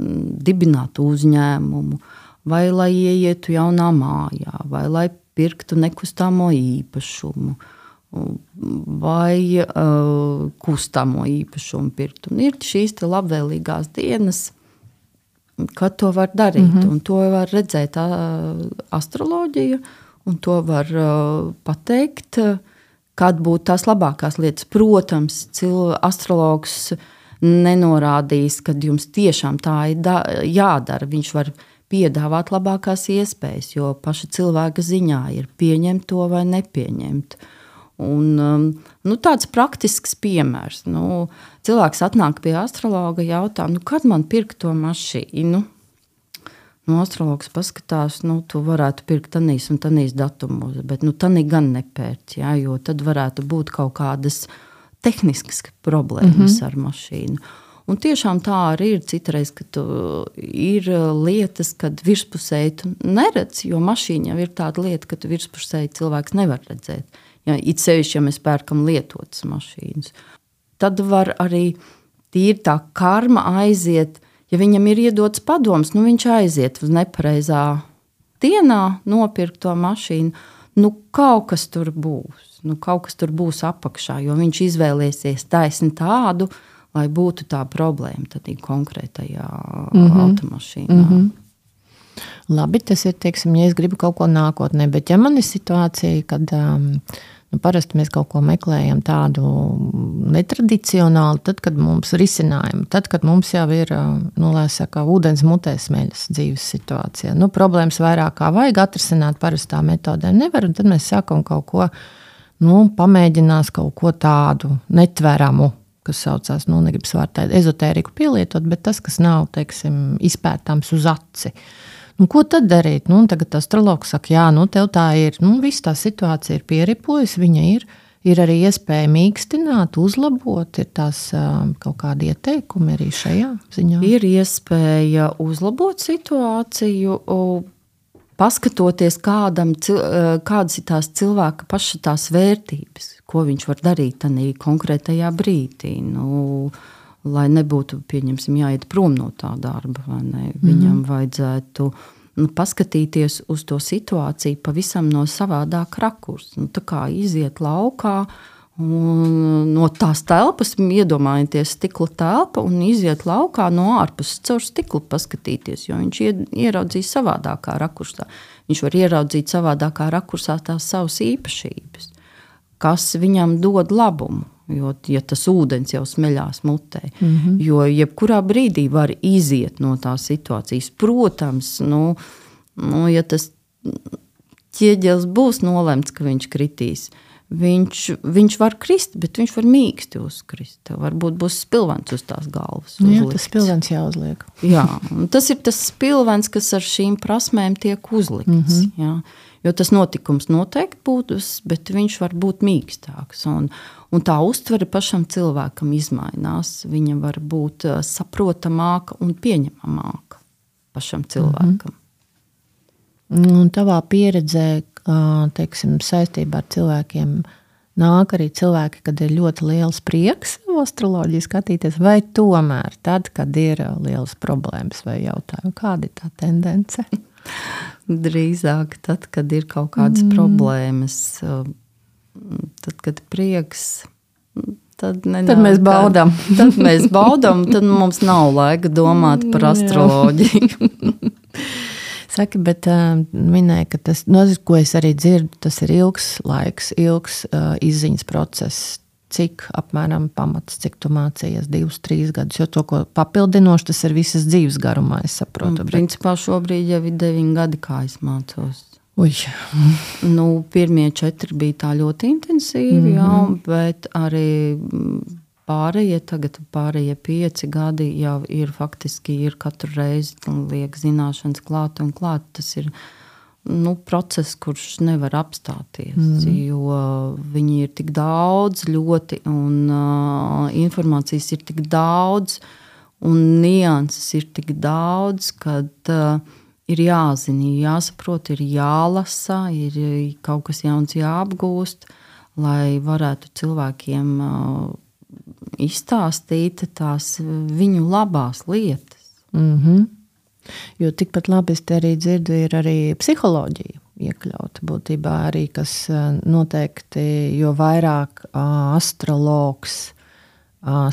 dibinātu uzņēmumu, vai lai ieietu jaunā mājā, vai lai pirktu nekustamo īpašumu, vai uh, kustamo īpašumu pirkt. Un ir šīs te labvēlīgās dienas, kad to var darīt. Mm-hmm. Un to var redzēt uh, astroloģija, un to var uh, pateikt, uh, kad būtu tās labākās lietas. Protams, cil- astrologs nenorādīs, kad jums tiešām tā ir da- jādara. Viņš var piedāvāt labākās iespējas, jo paša cilvēka ziņā ir pieņemt to vai nepieņemt. Un, nu, tāds praktisks piemērs. Nu, cilvēks atnāk pie astrologa, jautā, nu, kad man pirkt to mašīnu? Nu, astrologs paskatās, nu, tu varētu pirkt tanīs un tanīs datumos, bet nu, tanī gan nepērts, jā, jo tad varētu būt kaut kādas tehniskas problēmas mm-hmm. ar mašīnu. Un tiešām tā arī ir citreiz, ka tu ir lietas, kad virspusēji tu neredz, jo mašīna jau ir tāda lieta, ka tu virspusēji cilvēks nevar redzēt. Ja, it sevišķi, ja mēs pērkam lietotas mašīnas. Tad var arī tīri tā karma aiziet, ja viņam ir iedots padoms, nu viņš aiziet uz nepareizā dienā nopirkt to mašīnu, nu kaut kas tur būs, nu kaut kas tur būs apakšā, jo viņš izvēlēsies taisni tādu, lai būtu tā problēma tad ir konkrētajā mm-hmm. automašīnā. Mm-hmm. Labi, tas ir, teiksim, ja es gribu kaut ko nākotnē, bet ja man ir situācija, kad um, nu, parasti mēs kaut ko meklējam tādu netradicionālu, tad, kad mums risinājumi, tad, kad mums jau ir, nu, lai saka, ūdens mutē smeļas dzīves situācijā. Nu, problēmas vairāk kā vajag atrisināt parastā metodē nevar, un tad mēs sākam kaut ko, nu, pamēģinās kaut ko tādu netveramu, kas saucās, nu, negribas vārtēt ezotēriku pielietot, bet tas, kas nav, teiksim, izpētāms uz aci. Nu, ko tad darīt? Nu, tagad astrologs saka, jā, nu, tev tā ir, nu, viss tā situācija ir pieripojusi, viņa ir, ir arī iespēja mīkstināt, uzlabot, ir tās uh, kaut kādi ieteikumi arī šajā ziņā? Ir iespēja uzlabot situāciju, paskatoties kādam, kādas ir tās cilvēka paša tās vērtības, ko viņš var darīt tanī konkrētajā brīdī. Nu, lai nebūtu, pieņemsim, jāiet prom no tā darba, vai ne? Viņam mm. vajadzētu nu, paskatīties uz to situāciju pavisam no savādāk rakurs. Nu, tā kā iziet laukā, un no tās telpas, iedomājieties stikla telpa, un iziet laukā no ārpuses caur stiklu paskatīties, jo viņš ieraudzīs savādākā rakursā. Viņš var ieraudzīt savādākā rakursā tās savas īpašības, kas viņam dod labumu. Jo, ja tas ūdens jau smeļās mutē, mm-hmm. jo jebkurā brīdī var iziet no tās situācijas. Protams, nu, nu, ja tas ķieģelis būs nolemts, ka viņš kritīs, viņš, viņš var krist, bet viņš var mīksti uzkrist. Tev varbūt būs spilvens uz tās galvas uzlikts. Jā, tas spilvens jāuzliek. Jā, un tas ir tas spilvens, kas ar šīm prasmēm tiek uzlikts. Mm-hmm. Jā. Jo tas notikums noteikti būs, bet viņš var būt mīkstāks. Un, un tā uztvere pašam cilvēkam izmainās. Viņa var būt saprotamāka un pieņemamāka pašam cilvēkam. Mm-hmm. Un tavā pieredzē, teiksim, saistībā ar cilvēkiem nāk arī cilvēki, kad ir ļoti liels prieks astroloģiju skatīties, vai tomēr tad, kad ir lielas problēmas vai jautājumi? Kāda ir tā tendence? Drīzāk tad, kad ir kaut kādas mm. problēmas, tad, kad prieks, tad nenāk. Tad mēs baudām. Tad mēs baudām, tad mums nav laika domāt par astroloģiju. Saki, bet uh, minēja, ka tas, no, ko es arī dzirdu, tas ir ilgs laiks, ilgs uh, izziņas process. Cik apmēram pamats, cik tu mācījies divus, trīs gadus, jo to, ko papildinoši, tas ir visas dzīves garumā, es saprotu. Un, principā šobrīd jau ir deviņi gadi, kā es mācos. Uj. Nu, pirmie četri bija tā ļoti intensīvi, mm-hmm. jā, bet arī pārējie, tagad pārējie pieci gadi jau ir faktiski ir katru reizi liek zināšanas klāt un klāt. Tas ir nu, process, kurš nevar apstāties, mm. jo viņi ir tik daudz ļoti un uh, informācijas ir tik daudz un nianses ir tik daudz, kad uh, ir jāzina, jāsaprot, ir jālasa, ir kaut kas jauns jāapgūst, lai varētu cilvēkiem uh, izstāstīt tās viņu labās lietas. Mm-hmm. Jo tikpat labi es te arī dzirdu, ir arī psiholoģija iekļauta būtībā arī, kas noteikti, jo vairāk astrologs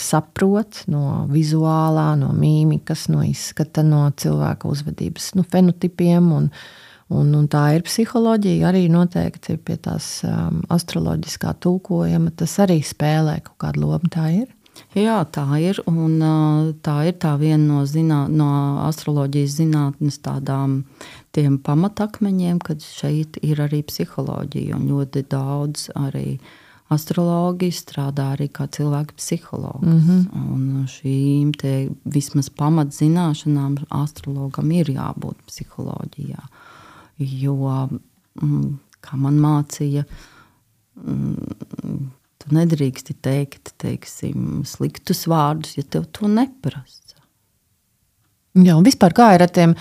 saprot no vizuālā, no mīmikas, no izskata, no cilvēka uzvedības, no fenotipiem un Un, un tā ir psiholoģija, arī noteikti pie tās um, astroloģiskā tulkojuma, tas arī spēlē kaut kādu lomu, tā ir? Jā, tā ir, un uh, tā ir tā viena no, zinā, no astroloģijas zinātnes tādām tiem pamatakmeņiem, kad šeit ir arī psiholoģija, un ļoti daudz arī astrologi strādā arī kā cilvēku psihologs. Mm-hmm. Un šīm te vismaz pamatzināšanām astrologam ir jābūt psiholoģijā. Jo, kā man mācīja, tu nedrīksti teikt, teiksim, sliktus vārdus, ja tev to neprasa. Jā, un vispār kā ir ar tiem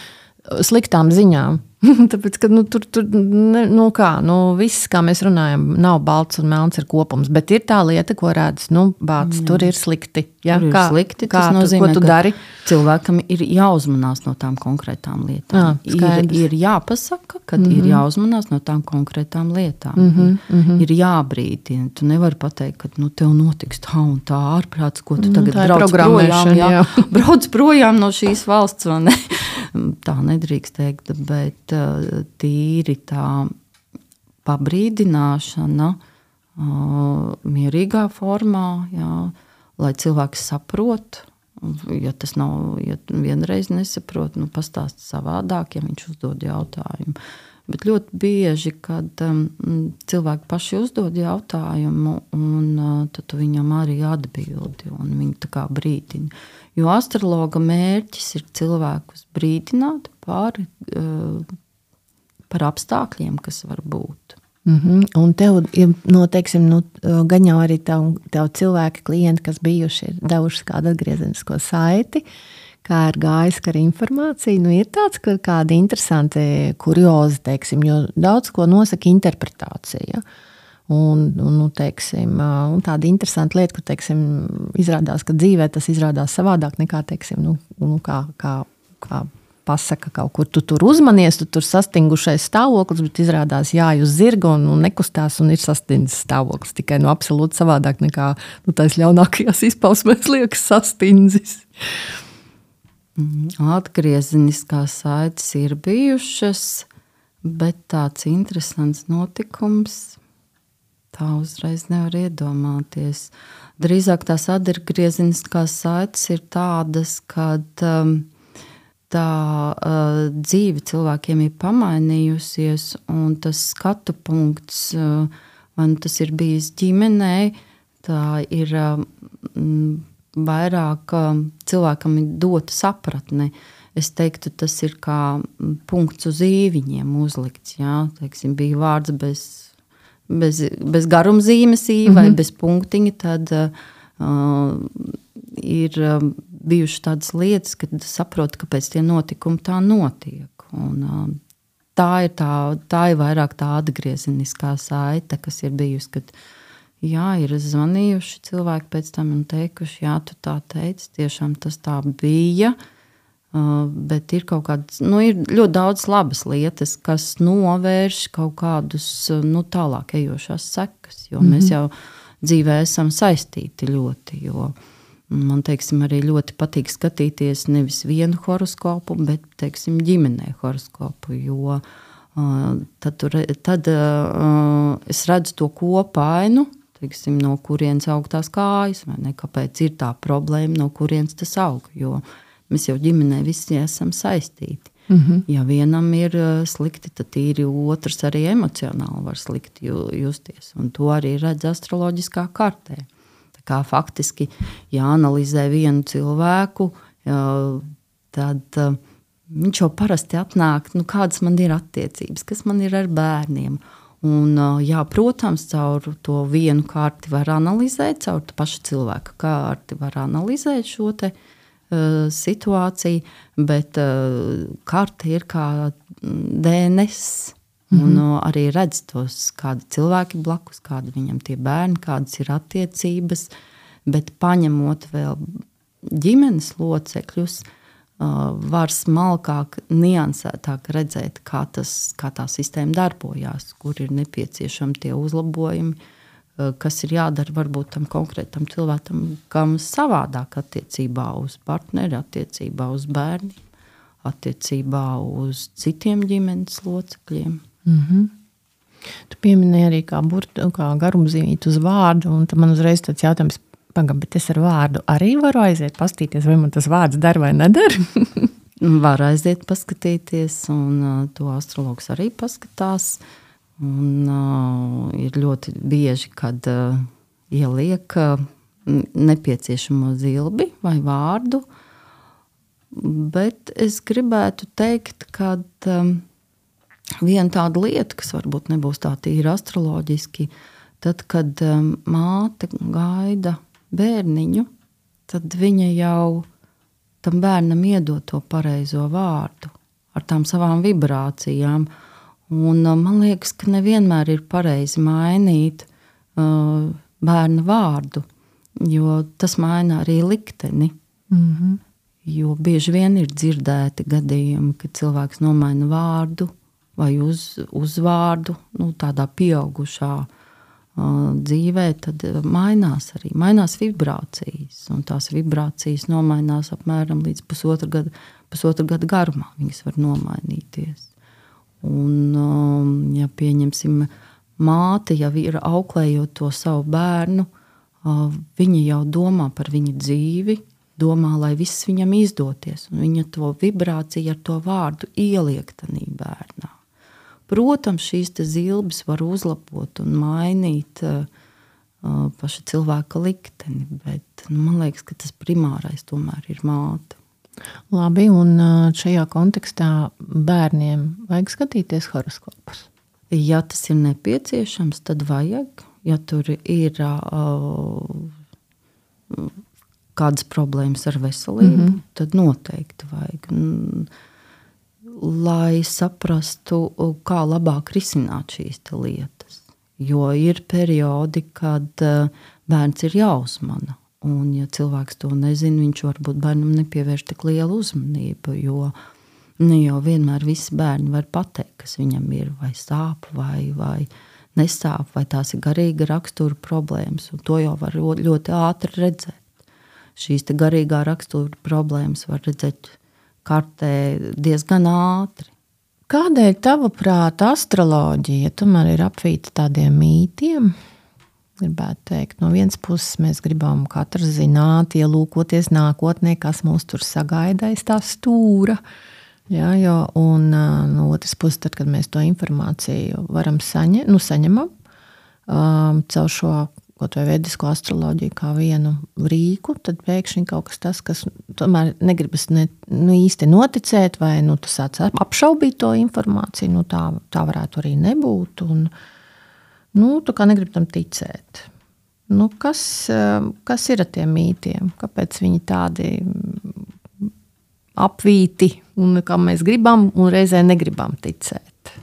sliktām ziņām? Tāpēc, ka nu, tur, tur ne, nu kā, nu, viss, kā mēs runājam, nav balts un melns ir kopums, bet ir tā lieta, ko redz, nu, bāc, jā. Tur ir slikti. Ja? Tur ir kā, slikti, kā tas nozīmē, tu, ko tu dari? Cilvēkam ir jāuzmanās no tām konkrētām lietām. Jā, ir, ir jāpasaka, ka mm-hmm. ir jāuzmanās no tām konkrētām lietām. Mm-hmm, mm-hmm. Ir jābrīdina. Tu nevari pateikt, ka nu, tev notiks tā un tā ārprāts, ko tu tagad mm, brauc projām. Jā, jā. Brauc projām no šīs valsts, vai ne? Tā nedrīkst teikt, bet tīri tā pabrīdināšana mierīgā formā, jā, lai cilvēks saprot, ja tas nav, ja vienreiz nesaprot, nu pastāst savādāk, ja viņš uzdod jautājumu. Bet ļoti bieži, kad um, cilvēki paši uzdod jautājumu, un uh, tad tu viņam arī atbildi, un viņi tā kā brīdina. Jo astrologa mērķis ir cilvēkus brīdināt par, uh, par apstākļiem, kas var būt. Mm-hmm. Un tev, no, teiksim, nu, gan jau arī tev, tev cilvēki, klienti, kas bijuši, ir devuši kādu atgriezenisko saiti, kā ir gājis ar informāciju, nu ir tāds, ka kādi interesanti kuriozi, teiksim, jo daudz ko nosaka interpretācija. Un, un, nu, teiksim, un tāda interesanta lieta, ka, teiksim, izrādās, ka dzīvē tas izrādās savādāk nekā, teiksim, nu, nu kā, kā, kā pasaka kaut kur, tu tur uzmanies, tu tur sastingušais stāvoklis, bet izrādās jāj uz zirga un, un nekustās un ir sastindzis stāvoklis, tikai nu absolūti savādāk nekā, nu, tais ļaunākajās izpausmēs liekas sastindzis. Atgriezeniskās saites ir bijušas, bet tāds interesants notikums tā uzreiz nevar iedomāties. Drīzāk tās atgriezeniskās saites ir tādas, kad um, tā uh, dzīve cilvēkiem ir pamainījusies, un tas skatu punkts, uh, vai nu tas ir bijis ģimenē, tā ir uh, vairāk uh, cilvēkam ir dota sapratne. Es teiktu, tas ir kā punkts uz īviņiem uzlikts. Jā? Teiksim, bija vārds bez, bez, bez garumzīmes ī vai mm-hmm. bez punktiņa, tad uh, ir uh, bijušas tādas lietas, kad saprotu, kāpēc tie notikumi tā notiek. Un, uh, tā, ir tā, tā ir vairāk tā atgriezeniskā saite, kas ir bijusi, kad jā, ir zvanījuši cilvēki pēc tam un teikuši, jā, tu tā teici, tiešām tas tā bija. Uh, bet ir kaut kādas, nu, ir ļoti daudz labas lietas, kas novērš kaut kādus, nu, tālāk ejošās sekas, jo mm-hmm. mēs jau dzīvē esam saistīti ļoti, jo man, teiksim, arī ļoti patīk skatīties nevis vienu horoskopu, bet, teiksim, ģimenē horoskopu, jo uh, tad, tur, tad uh, es redzu to kopainu, teiksim, no kurienes aug tās kājas, vai ne, kāpēc ir tā problēma, no kurienes tas aug, jo mēs jau ģimenē visi esam saistīti. Mm-hmm. Ja vienam ir slikti, tad tīri otrs arī emocionāli var slikti justies. Un to arī redz astroloģiskā kartē. Tā kā faktiski jāanalizē vienu cilvēku, tad viņš jau parasti atnāk, nu, kādas man ir attiecības, kas man ir ar bērniem. Un, jā, protams, caur to vienu karti var analizēt, caur pašu cilvēku karti var analizēt šo te situācija, bet uh, karte ir kā D N S. Mm-hmm. Un uh, arī redz tos, kādi cilvēki blakus, kādi viņam tie bērni, kādas ir attiecības, bet paņemot vēl ģimenes locekļus, uh, var smalkāk, niansētāk redzēt, kā, tas, kā tā sistēma darbojās, kur ir nepieciešami tie uzlabojumi, kas ir jādara varbūt tam konkrētam cilvēkam, kam savādāk attiecībā uz partneri, attiecībā uz bērniem, attiecībā uz citiem ģimenes locekļiem. Mm-hmm. Tu pieminēji arī kā, burtu, kā garumzīmīt uz vārdu, un tad man uzreiz tāds jautājums, pagam, bet es ar vārdu arī varu aiziet pastīties, vai man tas vārds dar vai nedar? Var aiziet paskatīties, un uh, to astrologs arī paskatās. Un, uh, ir ļoti bieži, kad uh, ieliek uh, nepieciešamo zilbi vai vārdu, bet es gribētu teikt, ka um, viena tāda lieta, kas varbūt nebūs tā tīri astroloģiski, tad, kad um, māte gaida bērniņu, tad viņa jau tam bērnam iedod to pareizo vārdu ar tām savām vibrācijām. Un man liekas, ka nevienmēr ir pareizi mainīt uh, bērna vārdu, jo tas maina arī likteni. Mm-hmm. Jo bieži vien ir dzirdēti gadījumi, kad cilvēks nomaina vārdu vai uz, uzvārdu, nu, tādā pieaugušā uh, dzīvē, tad mainās arī, mainās vibrācijas. Un tās vibrācijas nomainās apmēram līdz pusotra gada, pusotra gada garumā. Viņas var nomainīties. Un, ja pieņemsim, māte jau ir auklējot to savu bērnu, viņa jau domā par viņa dzīvi, domā, lai viss viņam izdoties, un viņa to vibrāciju ar to vārdu ieliek tanī bērnā. Protams, šīs te zilbes var uzlabot un mainīt uh, paša cilvēka likteni, bet nu, man liekas, ka tas primārais tomēr ir māte. Labi, un šajā kontekstā bērniem vajag skatīties horoskopus? Ja tas ir nepieciešams, tad vajag. Ja tur ir uh, kādas problēmas ar veselību, mm-hmm. tad noteikti vajag. Lai saprastu, kā labāk risināt šīs lietas. Jo ir periodi, kad bērns ir jāuzmana. Un, ja cilvēks to nezina, viņš varbūt bērnam nepievērš tik lielu uzmanību, jo ne jau vienmēr visi bērni var pateikt, kas viņam ir, vai sāp, vai, vai nesāp, vai tās ir garīga rakstura problēmas, un to jau var ļoti ātri redzēt. Šīs te garīgā rakstura problēmas var redzēt kartē diezgan ātri. Kādēļ tavuprāt astroloģija tomēr ir apvīta tādiem mītiem? gribētu teikt. No vienas puses mēs gribam katrs zināt, ielūkoties nākotnē, kas mūs tur sagaida aiz tā stūra. Ja, jo, un no otras puses, tad, kad mēs to informāciju varam saņem, nu, saņemam um, caur šo kaut vai vedisko astroloģiju kā vienu rīku, tad pēkšņi kaut kas tas, kas tomēr negribas ne, nu, īsti noticēt, vai nu, tu sāc apšaubīt to informāciju, nu, tā, tā varētu arī nebūt, un nu, tu kā negribi tam ticēt. Nu, kas, kas ir ar tiem mītiem? Kāpēc viņi tādi apvīti, un kā mēs gribam, un reizē negribam ticēt?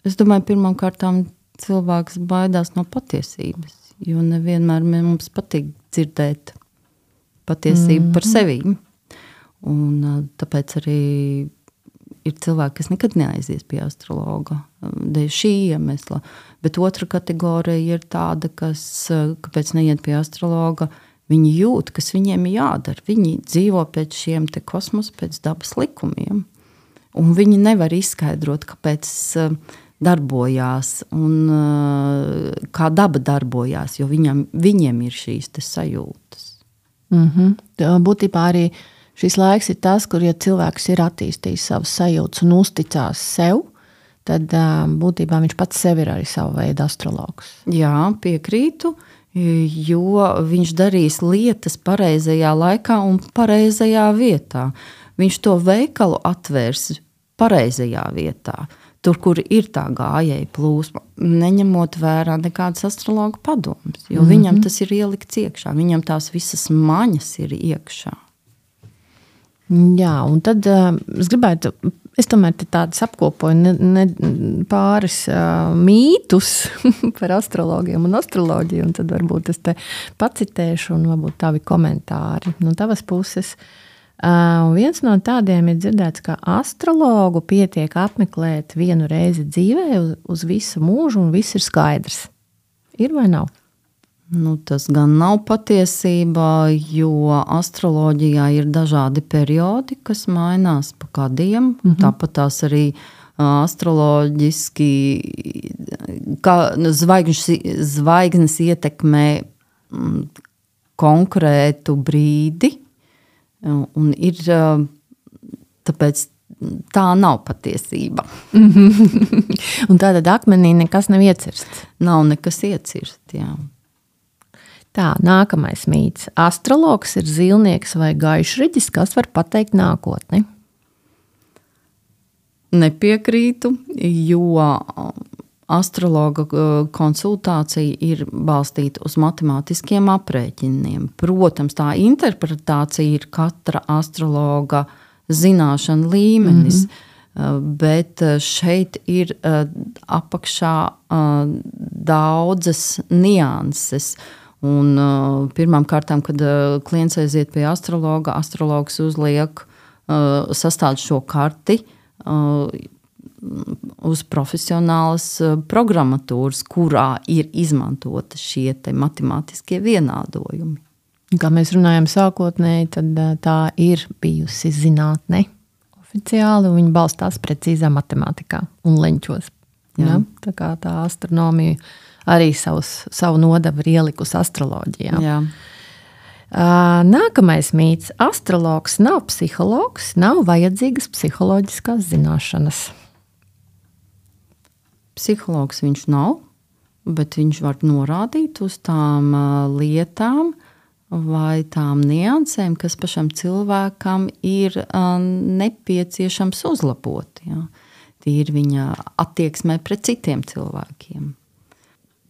Es domāju, pirmām kārtām cilvēks baidās no patiesības, jo nevienmēr mums patīk dzirdēt patiesību mm-hmm. par sevi. Un tāpēc arī ir cilvēki, kas nekad neaizies pie astrologa, dēļ šī iemesla. Bet otra kategorija ir tāda, kas, kāpēc neiet pie astrologa, viņi jūt, kas viņiem jādara. Viņi dzīvo pēc šiem te kosmosa, pēc dabas likumiem. Un viņi nevar izskaidrot, kāpēc darbojās un kā daba darbojās, jo viņam, viņiem ir šīs te sajūtas. Mm-hmm. Būtībā arī šis laiks ir tas, kur, ja cilvēks ir attīstījis savas sajūtas un uzticās sev, tad būtībā viņš pats sev ir arī savu veidu astrologs. Jā, piekrītu, jo viņš darīs lietas pareizajā laikā un pareizajā vietā. Viņš to veikalu atvērs pareizajā vietā. Tur, kur ir tā gājēja plūsma, neņemot vērā nekādas astrologa padomas, jo mm-hmm. viņam tas ir ielikts iekšā, viņam tās visas maņas ir iekšā. Jā, un tad uh, es gribētu, es tomēr te tādas apkopoju ne, ne, pāris uh, mītus par astrologiem un astroloģiju, un tad varbūt es te pacitēšu un varbūt tavi komentāri no tavas puses. Uh, viens no tādiem ir dzirdēts, ka astrologu pietiek apmeklēt vienu reizi dzīvē uz, uz visu mūžu un viss ir skaidrs. Ir vai nav? Nu, tas gan nav patiesība, jo astroloģijā ir dažādi periodi, kas mainās pa gadiem. Mm-hmm. Tāpat tās arī astroloģiski kā zvaigžnes, zvaigznes ietekmē mm, konkrētu brīdi. Un ir, tāpēc tā nav patiesība. Un tātad akmenī nekas nav iecirsts? Nav nekas iecirst, jā. Tā, nākamais mīts. Astrologs ir zilnieks vai gaišreģis, kas var pateikt nākotni? Nepiekrītu, jo astrologa konsultācija ir balstīta uz matemātiskiem aprēķiniem. Protams, tā interpretācija ir katra astrologa zināšana līmenis, mm-hmm. bet šeit ir apakšā daudzas nianses. Un pirmām kārtām, kad klients aiziet pie astrologa, astrologs uzliek sastād šo karti uz profesionālas programmatūras, kurā ir izmantota šie te matemātiskie vienādojumi. Kā mēs runājam sākotnēji, tad tā ir bijusi zinātne oficiāli, un viņi balstās precīzā matemātikā un leņķos. Ja? Tā kā tā astronomija arī savus, savu nodavu ir ielikusi astroloģijā. Jā. Nākamais mīts. Astrologs nav psihologs, nav vajadzīgas psiholoģiskās zināšanas. Psihologs viņš nav, bet viņš var norādīt uz tām lietām vai tām niansēm, kas pašam cilvēkam ir nepieciešams uzlabot. Ja? Tīri viņa attieksmē pret citiem cilvēkiem.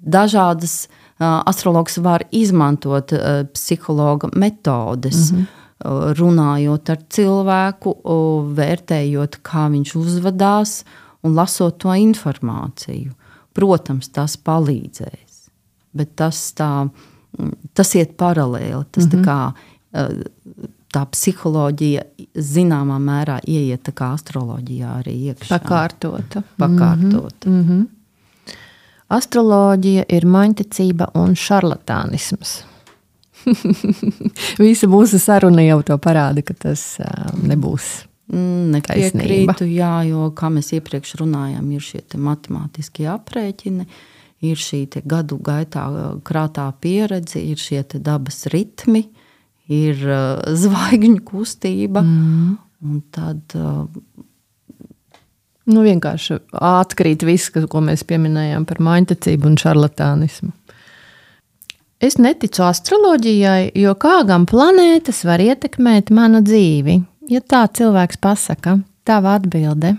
Dažādas astrologs var izmantot psihologa metodes, mm-hmm. runājot ar cilvēku, vērtējot, kā viņš uzvedās un lasot to informāciju. Protams, tas palīdzēs, bet tas, tā, tas iet paralēli. Tas mm-hmm. tā kā tā psiholoģija zināmā mērā ieiet tā kā astroloģijā arī iekšā. Pakārtota. Pakārtota. Mm-hmm. Astroloģija ir maņticība un šarlatānisms. Visa mūsu saruna jau to parāda, ka tas nebūs nepiekrītu, jā, jo, kā mēs iepriekš runājām, ir šie te matemātiskie aprēķini, ir šī te gadu gaitā krātā pieredze, ir šie te dabas ritmi, ir uh, zvaigžņu kustība, mm. un tad uh, nu, vienkārši atkrīt viss, ko mēs pieminējām par maiņtecību un šarlatānismu. Es neticu astroloģijai, jo kā gan planētas var ietekmēt manu dzīvi? Ja tā cilvēks pasaka, tava atbilde.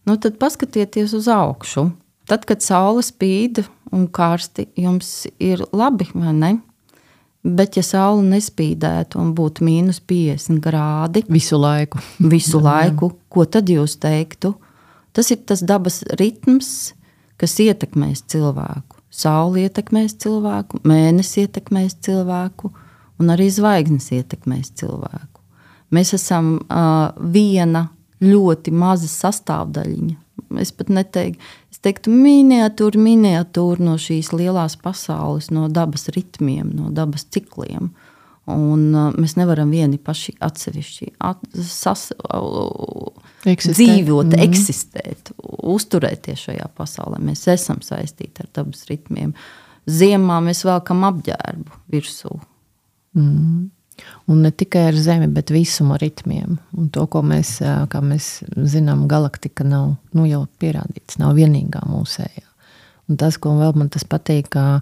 Nu, tad paskatieties uz augšu. Tad, kad saule spīd un karsti, jums ir labi, vai ne? Bet ja saule nespīdētu un būtu mīnus piecdesmit grādi visu laiku, visu laiku, ko tad jūs teiktu? Tas ir tas dabas ritms, kas ietekmēs cilvēku. Saule ietekmēs cilvēku, mēnesis ietekmēs cilvēku un arī zvaigznes ietekmēs cilvēku. Mēs esam uh, viena ļoti maza sastāvdaļiņa. Es pat neteiktu, es teiktu miniatūra, miniatūra no šīs lielās pasaules, no dabas ritmiem, no dabas cikliem. Un uh, mēs nevaram vieni paši atsevišķi at, sas, uh, eksistēt. dzīvot, mm. eksistēt, uzturēties šajā pasaulē. Mēs esam saistīti ar dabas ritmiem. Ziemā mēs velkam apģērbu virsū. Mm. Un ne tikai ar zemi, bet visuma ritmiem. Un to, ko mēs, kā mēs zinām, galaktika nav, nu jau pierādīts, nav vienīgā mūsējā. Un tas, ko vēl man tas patīk, kā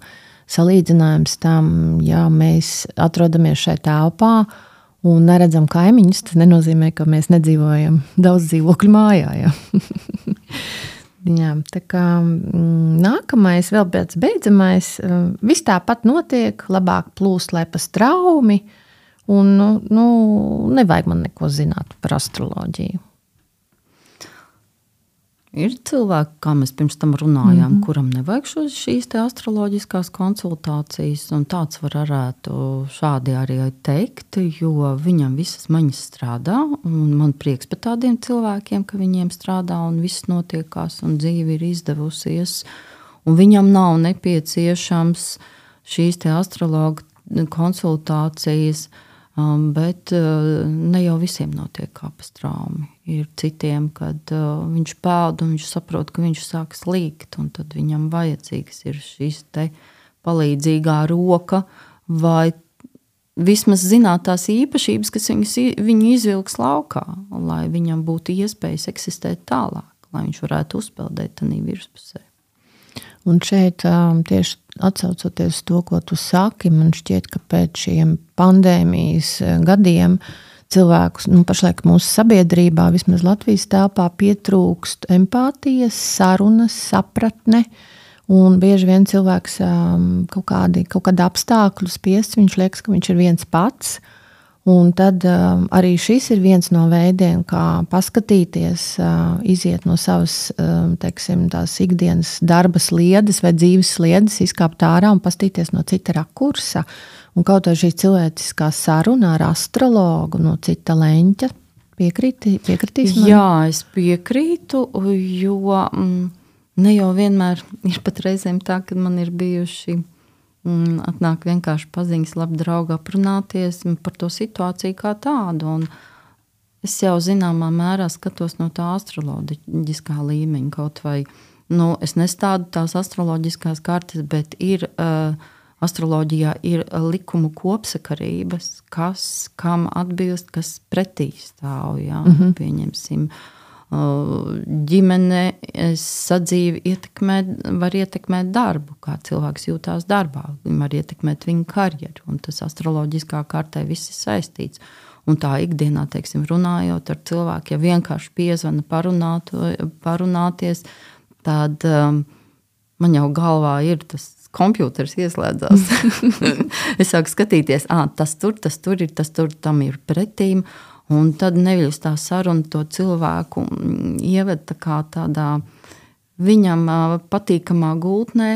salīdzinājums tam, ja mēs atrodamies šai telpā un neredzam kaimiņus, tas nenozīmē, ka mēs nedzīvojam daudz dzīvokļu mājā. Ja? Jā, tā kā nākamais, vēl pēc beidzamais, viss tāpat notiek, labāk plūst, lai pa straumi, un nu, nu, nevajag man neko zināt par astroloģiju. Ir cilvēki, kā mēs pirms tam runājām, mm-hmm. kuram nevajag šos, šīs te astroloģiskās konsultācijas, un tāds var varētu šādi arī teikt, jo viņam visas maņas strādā, un man prieks par tādiem cilvēkiem, ka viņiem strādā un viss notiekās, un dzīve ir izdevusies, un viņam nav nepieciešams šīs te astrologa konsultācijas, um, bet uh, ne jau visiem notiek kā pa straumi. Ir citiem, kad uh, viņš pēd un viņš saprot, ka viņš sāk slīgt, un tad viņam vajadzīgs ir šīs te palīdzīgā roka vai vismaz zināt tās īpašības, kas viņus, viņu izvilks laukā, lai viņam būtu iespējas eksistēt tālāk, lai viņš varētu uzpeldēt tanī virspusē. Un šeit um, tieši atsaucoties to, ko tu saki, man šķiet, ka pēc šiem pandēmijas gadiem cilvēkus, nu, pašlaik mūsu sabiedrībā, vismaz Latvijas telpā, pietrūkst empātijas, sarunas, sapratne, un bieži vien cilvēks um, kaut kādi, kaut kādi apstākļu spiests, viņš liekas, ka viņš ir viens pats, un tad um, arī šis ir viens no veidiem, kā paskatīties, uh, iziet no savas, um, teiksim, tās ikdienas darba sliedes vai dzīves sliedes, izkāpt ārā un pastīties no cita rakursa. Un kaut arī šī cilvēciskā saruna ar astrologu no cita leņķa piekrīti, piekritīs man? Jā, es piekrītu, jo mm, ne jau vienmēr ir pat reizēm tā, kad man ir bijuši mm, atnāk vienkārši paziņas, labi draugi aprunāties par to situāciju kā tādu. Un es jau zināmā mērā skatos no tā astroloģiskā līmeņa kaut vai, nu, es nestādu tās astroloģiskās kartes, bet ir uh, astroloģijā ir likumu kopsakarības, kas kam atbilst, kas pretī stāv. Jā. Mm-hmm. Pieņemsim, ģimene sadzīvi ietekmē, var ietekmēt darbu, kā cilvēks jūtās darbā, var ietekmēt viņa karjeru, un tas astroloģiskā kartē viss ir saistīts. Un tā ikdienā, teiksim, runājot ar cilvēku, ja vienkārši piezvana parunāt, parunāties, tad um, man jau galvā ir tas kompjūters ieslēdzās. Es sāku skatīties, ā, tas tur, tas tur ir, tas tur, tam ir pretīm, un tad neviļas tā saruna to cilvēku ieved tā kā tādā viņam patīkamā gultnē,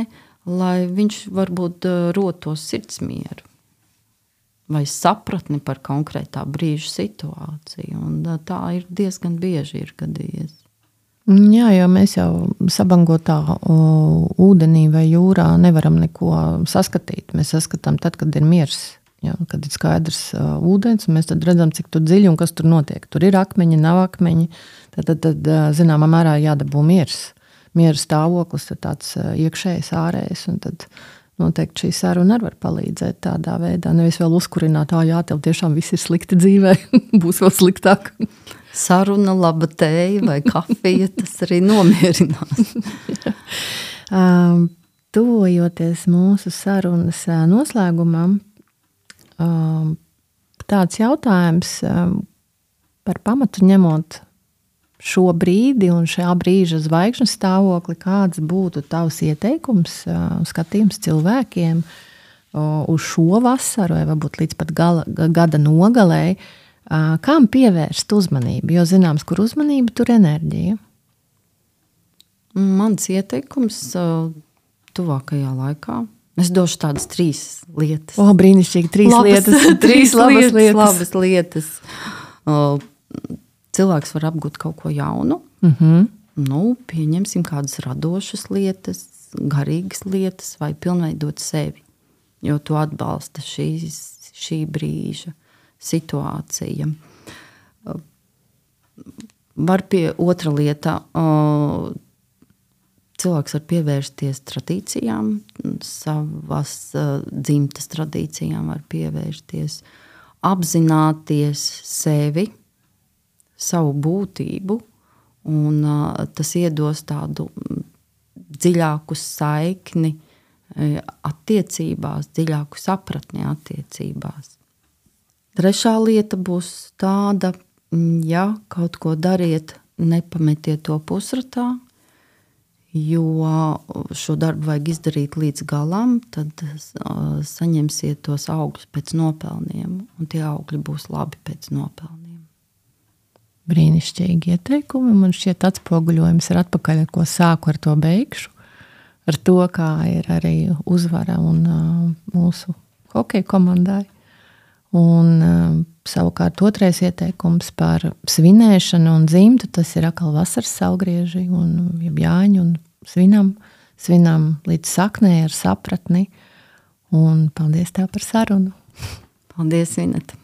lai viņš varbūt rotos sirdsmieru vai sapratni par konkrētā brīža situāciju, un tā ir diezgan bieži ir gadījies. Jā, jo mēs jau sabangotā o, ūdenī vai jūrā nevaram neko saskatīt. Mēs saskatām tad, kad ir miers, jā, kad ir skaidrs uh, ūdens, un mēs tad redzam, cik tur dziļi un kas tur notiek. Tur ir akmeņi, nav akmeņi, tad, tad, tad zināmā mērā jādabū miers. miera stāvoklis, tad tāds iekšējs, ārējs, un tad noteikti šī saruna arī var palīdzēt tādā veidā. Nevis vēl uzkurināt, ā, jā, tev tiešām viss ir slikti dzīvē, būs vēl sliktāk. Saruna, laba tēja vai kafija, tas arī nomierinās. um, tuvojoties mūsu sarunas noslēgumam, um, tāds jautājums um, par pamatu ņemot šo brīdi un šā brīža zvaigžņu stāvokli, kāds būtu tavs ieteikums, uh, skatījums cilvēkiem uh, uz šo vasaru, vai varbūt līdz pat gala, gada nogalei, uh, kam pievērst uzmanību? Jo zināms, kur uzmanība, tur enerģija. Mans ieteikums uh, tuvākajā laikā. Es došu tādas trīs lietas. O, brīnišķīgi, trīs labas, lietas. Trīs labas lietas. Labas lietas. Uh, cilvēks var apgūt kaut ko jaunu. Uh-huh. Nu, pieņemsim kādas radošas lietas, garīgas lietas vai pilnveidot sevi. Jo tu atbalsta šīs, šī brīža situācija. Uh, var pie otra lieta... Uh, Cilvēks var pievērsties tradīcijām, savas uh, dzimtas tradīcijām var pievērsties, apzināties sevi, savu būtību, un uh, tas iedos tādu dziļāku saikni uh, attiecībās, dziļāku sapratni attiecībās. Trešā lieta būs tāda, ja kaut ko dariet, nepametiet to pusratā, jo šo darbu vajag izdarīt līdz galam, tad uh, saņemsiet tos augļus pēc nopelniem, un tie augļi būs labi pēc nopelniem. Brīnišķīgi ieteikumi, man šķiet atspoguļojums ir atpakaļ, ar ko sāku, ar to beigšu, ar to, kā ir arī uzvara un uh, mūsu hokeja komandai. Un uh, savukārt otrais ieteikums par svinēšanu un dzimtu, tas ir atkal vasaras saulgrieži un jāņu un svinam, svinam līdz saknē ar sapratni. Un paldies tev par sarunu. Paldies, Vineta.